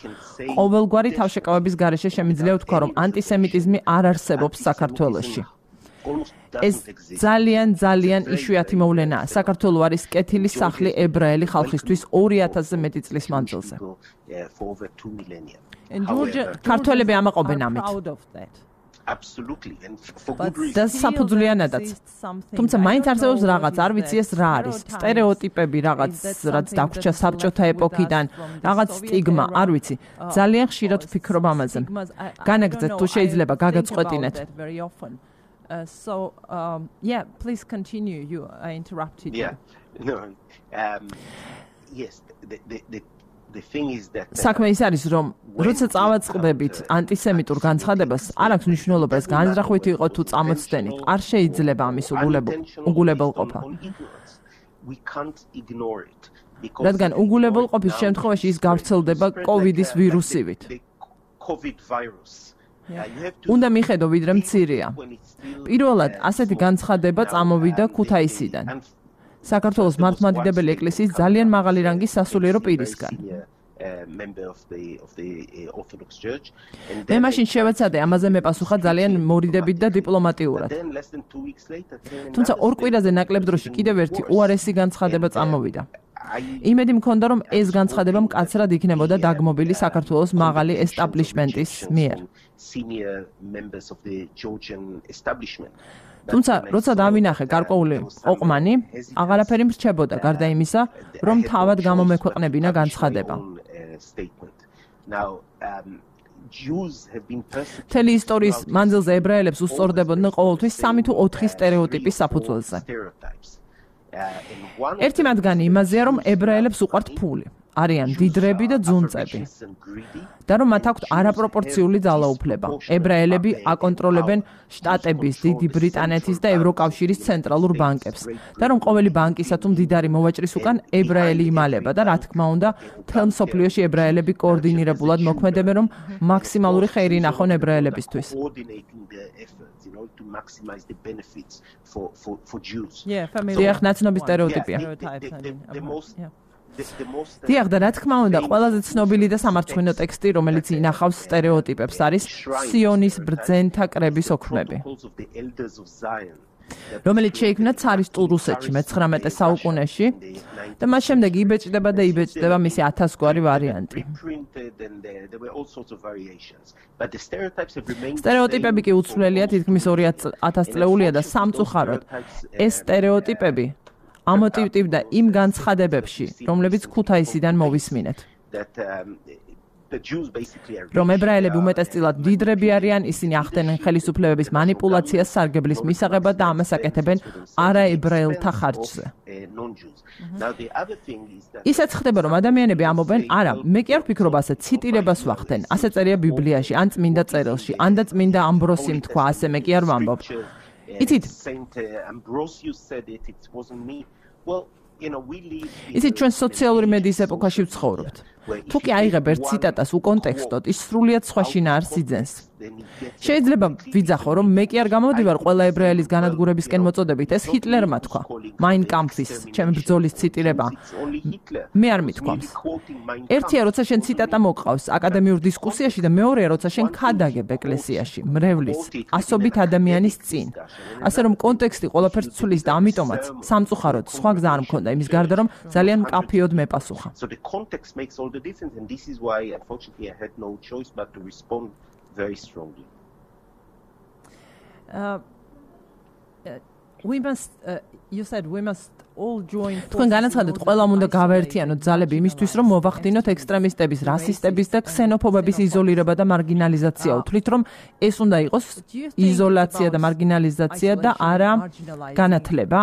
ყოველგვარი თავშეკავების გარეშე შემიძლია ვთქვა, რომ ანტისემიტიზმი არ არსებობს საქართველოში. ეს ძალიან იშვიათი მოვლენაა. საქართველო არის კეთილი სახლი ებრაელი ხალხისთვის 2000-ზე მეტი წლის მანძილზე. ქართველები ამაყობენ ამით. Absolutely, and for good reason. და საფუძვლიანადაც. თუმცა მაინც არსებობს რაღაც, არ ვიცი ეს რა არის. სტერეოტიპები რაღაც, რაც დაგვრჩა საბჭოთა ეპოქიდან, რაღაც სტიგმა, არ ვიცი. ძალიან ხშირად ვფიქრობ ამაზე. განაგრძეთ თუ შეიძლება გაგაწყვეტინეთ. So yeah, please continue. I interrupted you. Yeah. No. Yes, the thing is that საქმე ის არის, რომ როცა წავაწყდებით ანტისემიტურ განცხადებას, არ აქვს მნიშვნელობა ეს განზრახვით იყო თუ წამოწდენით. არ შეიძლება ამის უგულებელყოფა. რადგან უგულებელყოფის შემთხვევაში ის გავრცელდება COVID-ის ვირუსივით. უნდა მიხედო ვიდრე მცირეა. პირველად, ასეთი განცხადება წამოვიდა ქუთაისიდან. საქართველოს მართლმადიდებელი ეკლესიის ძალიან მაღალი რანგის სასულიერო პირისგან. მე მაშინ შევეცადე ამაზე მეპასუხა ძალიან მორიდებით და დიპლომატიურად. თუმცა ორ კვირაზე ნაკლებ დროში კიდევ ერთი უარესი განცხადება წამოვიდა. იმედი მქონდა, რომ ეს განცხადება მკაცრად იქნებოდა დაგმობილი საქართველოს მაღალი ესტაბლიშმენტის მიერ. თუმცა, როცა დავინახე გარკვეული ოყმანი, აღარაფერი მრჩებოდა, გარდა იმისა, რომ თავად გამომექვეყნებინა განცხადება. მთელი ისტორიის მანძილზე ებრაელებს უსწორდებოდნენ ყოველთვის 3 თუ 4 სტერეოტიპის საფუძველზე. ერთი მათგანი იმაზეა, რომ ებრაელებს უყვართ ფული. არიან დიდრები და ძუნწები. და რომ მათ აქვთ არაპროპორციული ძალაუფლება. ებრაელები აკონტროლებენ შტატების, დიდი ბრიტანეთის და ევროკავშირის ცენტრალურ ბანკებს. და რომ ყოველი ბანკისა თუ მდიდარი მოვაჭრის უკან ებრაელი იმალება და რა თქმა უნდა, მთელ მსოფლიოში ებრაელები კოორდინირებულად მოქმედებენ, რომ მაქსიმალური ხეირი ნახონ ებრაელებისთვის. დიახ, ნაცნობის სტერეოტიპია. დიახ, და რა თქმა უნდა, ყველაზე ცნობილი და სამარცხვინო ტექსტი, რომელიც ინახავს სტერეოტიპებს, არის სიონის ბრძენთა კრების ოქმები. რომელიც შეიქმნა ცარისტულ რუსეთში მე-19 საუკუნეში და მას შემდეგ იბეჭდება მისი 1000 გვარი ვარიანტი. სტერეოტიპები კი უცვლელია თითქმის 2000 წლეულია და სამწუხაროდ ეს სტერეოტიპები ამოტივტივდა იმ განცხადებებში, რომლებიც ქუთაისიდან მოვისმინეთ. რომ ებრაელები უმეტესწილად დიდრები არიან, ისინი ახდენენ ხელისუფლებების манипуляციას სარგებლის მისაღებად და ამას აკეთებენ არაებრაელთა ხარჯზე. ისაც ხდება, რომ ადამიანები ამობენ, არა, მე კი არ ვფიქრობ ასე, ციტირებას ვახდენ, ასე წერია ბიბლიაში, ან წმინდა წერილში, ან და წმინდა ამბროსიმ თქვა, ასე მე კი არ ვამბობ. იცით, ჩვენ სოციალური მედიის ეპოქაში ვცხოვრობთ. თუ კი აიღებ ერთ ციტატას უკონტექსტოდ, ის სრულიად სხვა შინაარსს იძენს. შეიძლება ვიძახო, რომ მე კი არ გამოვდივარ ყველა ებრაელის განადგურებისკენ მოწოდებით, ეს ჰიტლერმა თქვა. Mein Kampfის, ჩემი ბრძოლის ციტირება. მე არ მithქვამს. ერთია, როცა შენ ციტატა მოყავს აკადემიურ დისკუსიაში და მეორეა, როცა შენ ქადაგებ ეკლესიაში, მრევლის, ასობით ადამიანის წინ. ასე რომ კონტექსტი ყველაფერს ცვლის და ამიტომაც სამწუხაროდ სხვა გზა არ მქონდა იმის გარდა, რომ ძალიან მკაფიოდ მეპასუხა. The difference, and this is why unfortunately I had no choice but to respond very strongly. You said we must all join. თქვენ განაცხადეთ, ყველამ უნდა გავაერთიანოთ ძალები იმისთვის, რომ მოვახდინოთ ექსტრემისტების, რასისტების და ქსენოფობების იზოლირება და მარგინალიზაცია. უთვლით, რომ ეს უნდა იყოს იზოლაცია და მარგინალიზაცია და არა განათლება?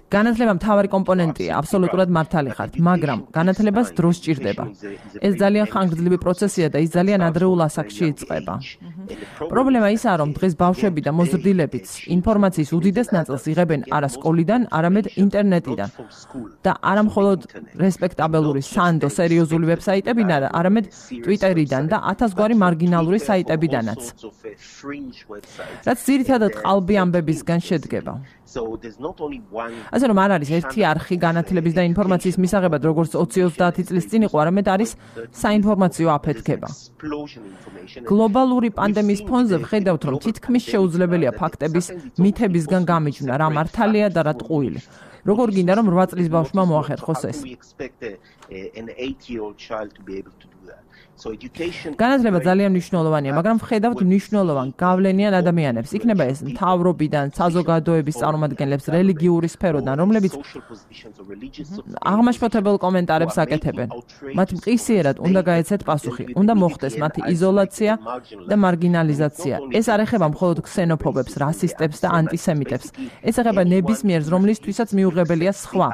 განათლება მთავარი კომპონენტია, აბსოლუტურად მართალი ხართ, მაგრამ განათლებას დრო სჭირდება. ეს ძალიან ხანგრძლივი პროცესია და ის ძალიან ადრეულ ასაკში იწყება. პრობლემა ისაა, რომ დღეს ბავშვები და მოზრდილებიც ინფორმაციის უდიდეს ნაწილს იღებენ არა სკოლიდან, არამედ ინტერნეტიდან. და არა მხოლოდ რესპექტაბელური სანდო სერიოზული ვებსაიტებიდან, არამედ ტვიტერიდან და 1000 გვარი მარგინალური საიტებიდანაც. რაც ძირითადად ყალბი ამბებისგან შედგება. ასე რომ არ არის ერთი არხი განათლების და ინფორმაციის მისაღებად, როგორც 20-30 წლის წინ იყო, არამედ არის საინფორმაციო აფეთქება. გლობალური პანდემიის ფონზე ვხედავთ, რომ თითქმის შეუძლებელია ფაქტების მითებისგან გამიჯვნა, რა მართალია და რა ტყუილი. როგორ გინდა, რომ 8 წლის ბავშვმა მოახერხოს ეს? an 8-year-old child to be able to do that. So education განათლება ძალიან მნიშვნელოვანია, მაგრამ ვხედავთ მნიშვნელოვან გავლენიან ადამიანებს. იქნება ეს მთავრობიდან, საზოგადოების წარმომადგენლებს, რელიგიური სფეროდან, რომლებიც აღმაშფოთებელ კომენტარებს აკეთებენ. მათ მყისიერად უნდა გაეცეთ პასუხი, უნდა მოხდეს მათი იზოლაცია და მარგინალიზაცია. ეს არ ეხება მხოლოდ ქსენოფობებს, რასისტებს და ანტისემიტებს. ეს ეხება ნებისმიერს, რომლისთვისაც მიუღებელია სხვა.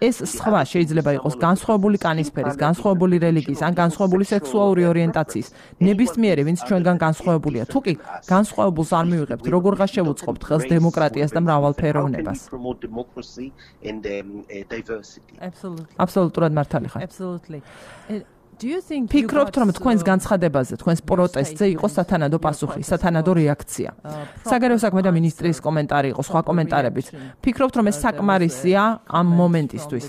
ეს სხვა შეიძლება იყოს განსხვავებული კანისფერის, განსხვავებული რელიგიის ან განსხვავებული სექსუალური ორიენტაციის. ნებისმიერი, ვინც ჩვენგან განსხვავებულია. თუ კი განსხვავებულს არ მივიღებთ, როგორღა შევუწყობთ ხელს დემოკრატიას და მრავალფეროვნებას. Absolutely მართალი ხარ. Absolutely. Do you think ფიქრობთ, რომ თქვენს განცხადებაზე, თქვენს პროტესტზე იყო სათანადო პასუხი, სათანადო რეაქცია? საგარეო საქმეთა მინისტრის კომენტარი იყო, სხვა კომენტარებით. ფიქრობთ, რომ ეს საკმარისია ამ მომენტისთვის?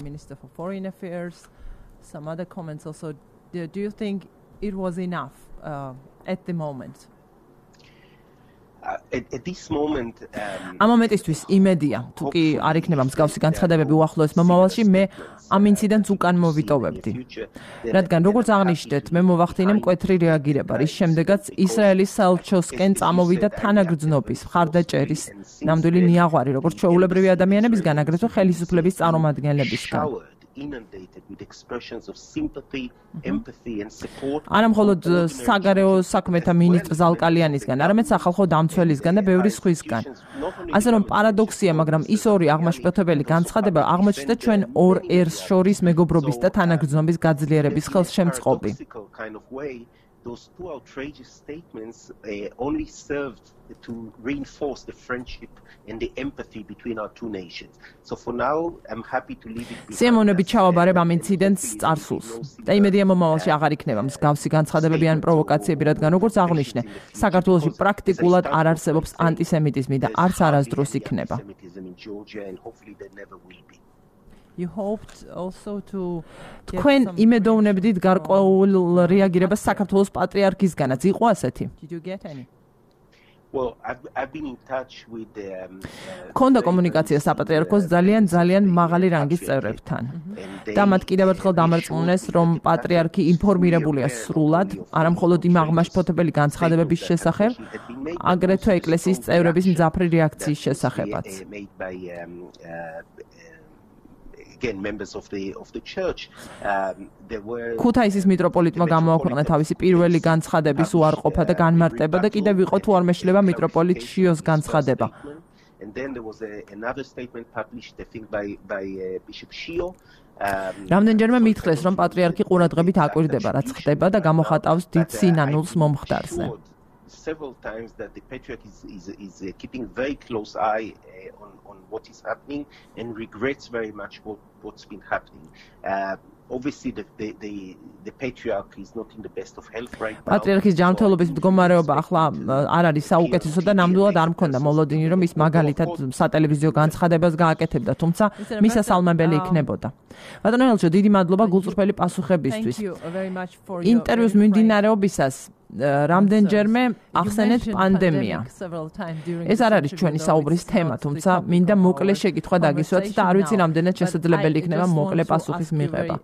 Some other comments also. Do you think it was enough at the moment? At this moment ამ მომენტისთვის იმედია, თუ კი არ იქნება მსგავსი განცხადებები უახლოეს მომავალში, მე ამ ინციდენტს უკან მოვიტოვებდი. რადგან როგორც აღნიშნეთ, მე მოვახდინე მკვეთრი რეაგირება, რის შემდეგაც ისრაელის საელჩოსკენ წამოვიდა თანაგრძნობის, მხარდაჭერის ნამდვილი ნიაღვარი, როგორც ჩვეულებრივი ადამიანებისგან, აგრეთვე ხელისუფლების წარმომადგენლებისგან. inundated with expressions of sympathy, empathy and support. არა მხოლოდ საგარეო საქმეთა მინისტრ ზალკალიანისგან, არამედ სახალხო დამცველისგან და ბევრი სხვისგან. ასე რომ პარადოქსია, მაგრამ ის ორი აღმაშფოთებელი განცხადება აღმოჩნდა ჩვენ ორ ერს შორის მეგობრობის და თანაგრძნობის გაძლიერების ხელშემწყობი. Those two outrageous statements only served to reinforce the friendship and the empathy between our two nations. So for now, I'm happy to leave it behind. სიამოვნებით ჩავაბარებ ამ ინციდენტს წარსულს. და იმედია მომავალში აღარ იქნება მსგავსი განცხადებები ან პროვოკაციები, რადგან როგორც აღნიშნე, საქართველოში პრაქტიკულად არ არსებობს ანტისემიტიზმი და არც არასდროს იქნება. You hoped also to თქვენ იმედოვნებდით გარკვეულ რეაგირებას საქართველოს პატრიარქისგანაც იყო ასეთი? Did you get any? Well, I've been in touch with კონდა კომუნიკაცია საპატრიარქოს ძალიან მაღალი რანგის წევრებთან. და მათ კიდევ ერთხელ დამარწმუნეს, რომ პატრიარქი ინფორმირებულია სრულად, არა მხოლოდ იმ აღმაშფოთებელი განცხადებების შესახებ, აგრეთვე ეკლესიის წევრების მძაფრი რეაქციის შესახებაც. Again, members of the church, there were ქუთაისის მიტროპოლიტმა გამოაქვეყნა თავისი პირველი განცხადების უარყოფა და განმარტება და კიდევ იყო თუ არ მეშლება მიტროპოლიტ შიოს განცხადება. And then there was another statement published, I think, by Bishop Shio. რამდენჯერმე მითხრეს, რომ პატრიარქი ყურადღებით აკვირდება, რაც ხდება და გამოხატავს დიდ სინანულს მომხდარზე. Several times that the patriarch is keeping very close eye on what is happening and regrets very much what's been happening. Obviously the patriarch is not in the best of health right now. პატრიარქის ჯანმრთელობის მდგომარეობა ახლა არ არის საუკეთესო და ნამდვილად არ მქონდა მოლოდინი, რომ ის მაგალითად სატელევიზიო განცხადებას გააკეთებდა, თუმცა მისასალმებელი იქნებოდა. ბატონო ელჩო, დიდი მადლობა გულწრფელი პასუხებისთვის. ინტერვიუს მიმდინარეობისას რამდენჯერმე ახსენეთ პანდემია. ეს არ არის ჩვენი საუბრის თემა, თუმცა მინდა მოკლე შეკითხვა დაგისვათ და არ ვიცი რამდენად შესაძლებელი იქნება მოკლე პასუხის მიღება.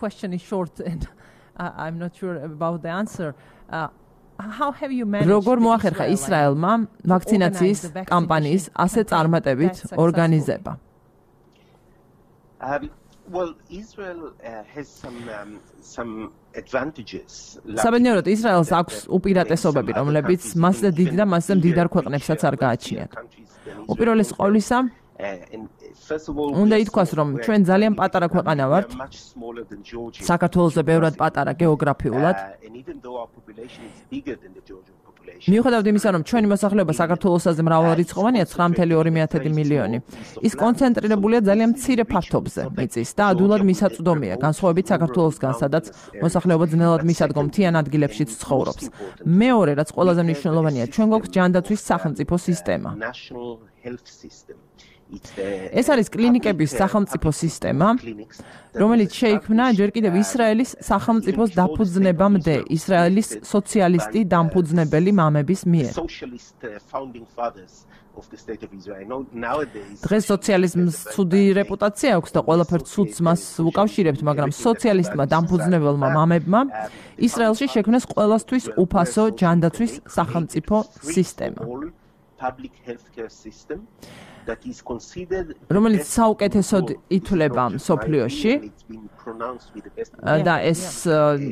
Question is short and I'm not sure about the answer. How have you managed? როგორ მოახერხა ისრაელმა ვაქცინაციის კამპანიის ასე წარმატებით ორგანიზება? Well, Israel has some advantages. საბედნიეროდ ისრაელს აქვს უპირატესობები, რომლებიც მასზე დიდი და მასზე მდიდარ ქვეყნებსაც არ გააჩნიათ. უპირველეს ყოვლისა, უნდა ითქვას, რომ ჩვენ ძალიან პატარა ქვეყანა ვართ. საქართველოზე ბევრად პატარა გეოგრაფიულად. მიუხედავად იმისა, რომ ჩვენი მოსახლეობა საქართველოსაზე მრავალრიცხოვანია 9.2 მილიონი, ის კონცენტრირებულია ძალიან მცირე ფართობზე მიწის და ადვილად მისაწვდომია, განსხვავებით საქართველოსგან, სადაც მოსახლეობა ძნელად მისადგომ მთიან ადგილებშიც ცხოვრობს. მეორე, რაც ყველაზე მნიშვნელოვანია, ჩვენ გვაქვს ჯანდაცვის სახელმწიფო სისტემა. ეს არის კლინიკების სახელმწიფო სისტემა, რომელიც შეიქმნა ჯერ კიდევ ისრაელის სახელმწიფოს დაფუძნებამდე, ისრაელის სოციალისტი დამფუძნებელი მამების მიერ. დღეს სოციალიზმს ცუდი რეპუტაცია აქვს და ყველაფერს ცუდს მას უკავშირებთ, მაგრამ სოციალისტმა დამფუძნებელმა მამებმა ისრაელში შექმნეს ყველასთვის უფასო ჯანდაცვის სახელმწიფო სისტემა. რომელიც საუკეთესოდ ითვლება მსოფლიოში და ეს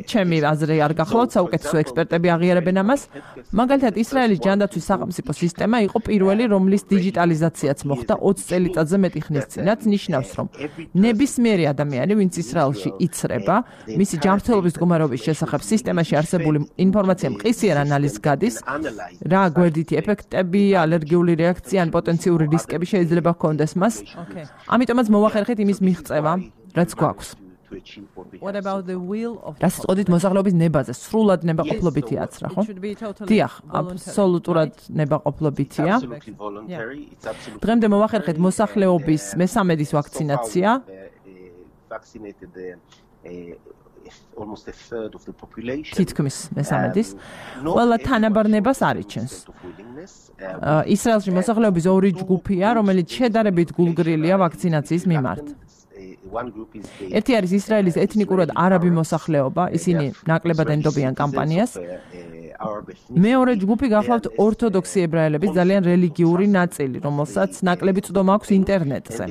ჩემი აზრი არ გახლავთ, საუკეთესო ექსპერტები აღიარებენ ამას. მაგალითად, ისრაელის ჯანდაცვის სახელმწიფო სისტემა იყო პირველი, რომლის დიჯიტალიზაციაც მოხდა 20 წელიწადზე მეტი ხნის წინ. რაც ნიშნავს, რომ ნებისმიერი ადამიანი, ვინც ისრაელში იცრება, მისი ჯანმრთელობის მდგომარეობის შესახებ სისტემაში არსებული ინფორმაცია მყისიერ ანალიზს გადის, რა გვერდითი ეფექტები, ალერგიული რეაქცია ან პოტენციური რისკები შეიძლება ჰქონდეს მას. ამიტომაც მოვახერხეთ იმის მიღწევა, რაც გვაქვს. What about the will of რას წოდით მოსახლეობის ნებაზე? სრულად ნებაყოფლობითია რა, ხო? დიახ, აბსოლუტურად ნებაყოფლობითია. დღემდე მოვახერხეთ მოსახლეობის მესამედის ვაქცინაცია. Almost a third of the population. თითქმის მესამედის. ყველა თანაბარნებას არიჩენს. ისრაელში მოსახლეობის ორი ჯგუფია, რომელიც შედარებით გულგრილია ვაქცინაციის მიმართ. ერთი არის ისრაელის ეთნიკურად არაბი მოსახლეობა, ისინი ნაკლებად ენდობიან კამპანიას. მეორე ჯგუფი გახლავთ ორთოდოქსი ებრაელების ძალიან რელიგიური ნაწილი, რომელსაც ნაკლები წვდომა აქვს ინტერნეტზე.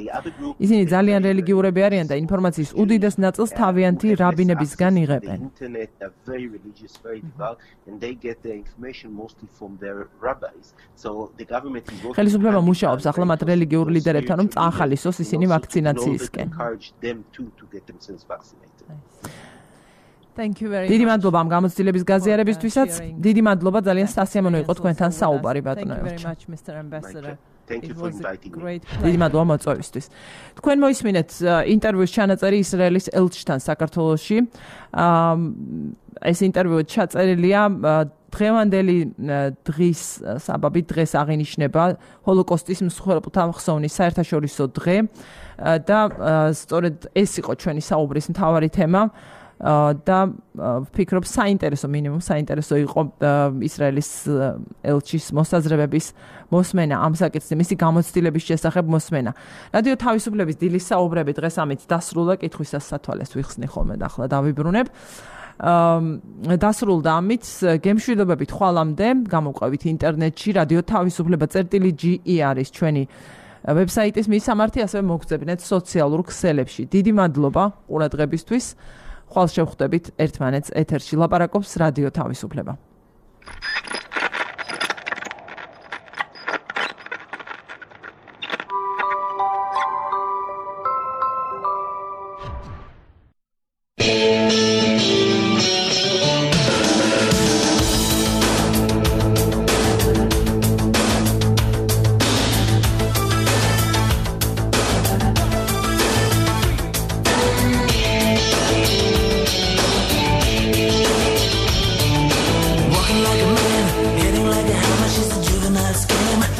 ისინი ძალიან რელიგიურები არიან და ინფორმაციის უდიდეს ნაწილს თავიანთი რაბინებისგან იღებენ. ხელისუფლება მუშაობს ახლა მათ რელიგიურ ლიდერებთან, რომ წაახალისოს ისინი ვაქცინაციისკენ. Thank you very much. დიდი მადლობა ამ გამოცდილების გაზიარებისთვისაც. დიდი მადლობა ძალიან სასიამოვნო იყო თქვენთან საუბარი ბატონო. Thank you very much, Mr. Ambassador. Thank you for inviting me. დიდი მადლობა მოწვევისთვის. თქვენ მოისმინეთ ინტერვიუს ჩანაწერი ისრაელის ელჩთან საქართველოში. ეს ინტერვიუ ჩაწერილია დღევანდელი დღის საბაბით, დღეს აღინიშნება ჰოლოკოსტის მსხვერპლთა ხსოვნის საერთაშორისო დღე და სწორედ ეს იყო ჩვენი საუბრის მთავარი თემა. და ვფიქრობ საინტერესო მინიმუმ საინტერესო იყო ისრაელის ელჩის მოსაზრებების მოსმენა ამ საკითხზე, მისი გამოცდილების შესახებ მოსმენა. რადიო თავისუფლების დილის საუბრები დღეს ამით დასრულდა, კითხვისას სათვალეს ვიხსნი ხოლმე და ახლა დავიბრუნებ. დასრულდა ამით, გემშვიდობებით ხვალამდე, გამოვყავით ინტერნეტში რადიო თავისუფლება.ge არის ჩვენი ვებსაიტის მისამართი, ასევე მოგწებნეთ სოციალურ ქსელებში. დიდი მადლობა ყურადღებისთვის. ხვალ შევხვდებით ერთმანეთს ეთერში. ლაპარაკობს რადიო თავისუფლება.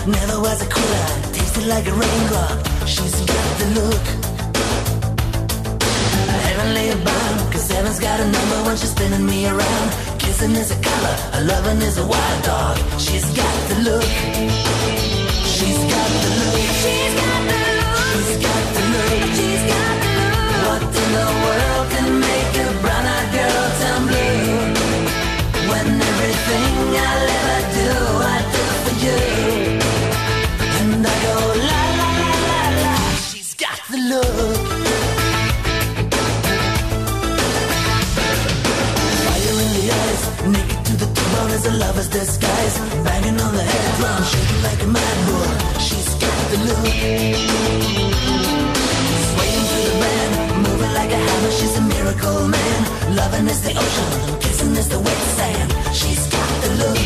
Never was a quitter, tasted like a raindrop. She's got the look. Heavenly bound, cause heaven's got a number when she's spinning me around. Kissing is a color, a loving is a wild dog. She's got the look. She's got the look. She's got the look. She's got the look. She's got the look. What in the world can make a brown-eyed girl turn blue? When everything I'll ever do, I do for you. And I go la la la la la. She's got the look. Fire in the eyes, naked to the bone as a lover's disguise. Banging on the head drum, shaking like a mad bull. She's got the look. Swaying through the band, moving like a hammer. She's a miracle man. Loving is the ocean, kissing is the wet sand. She's got the look.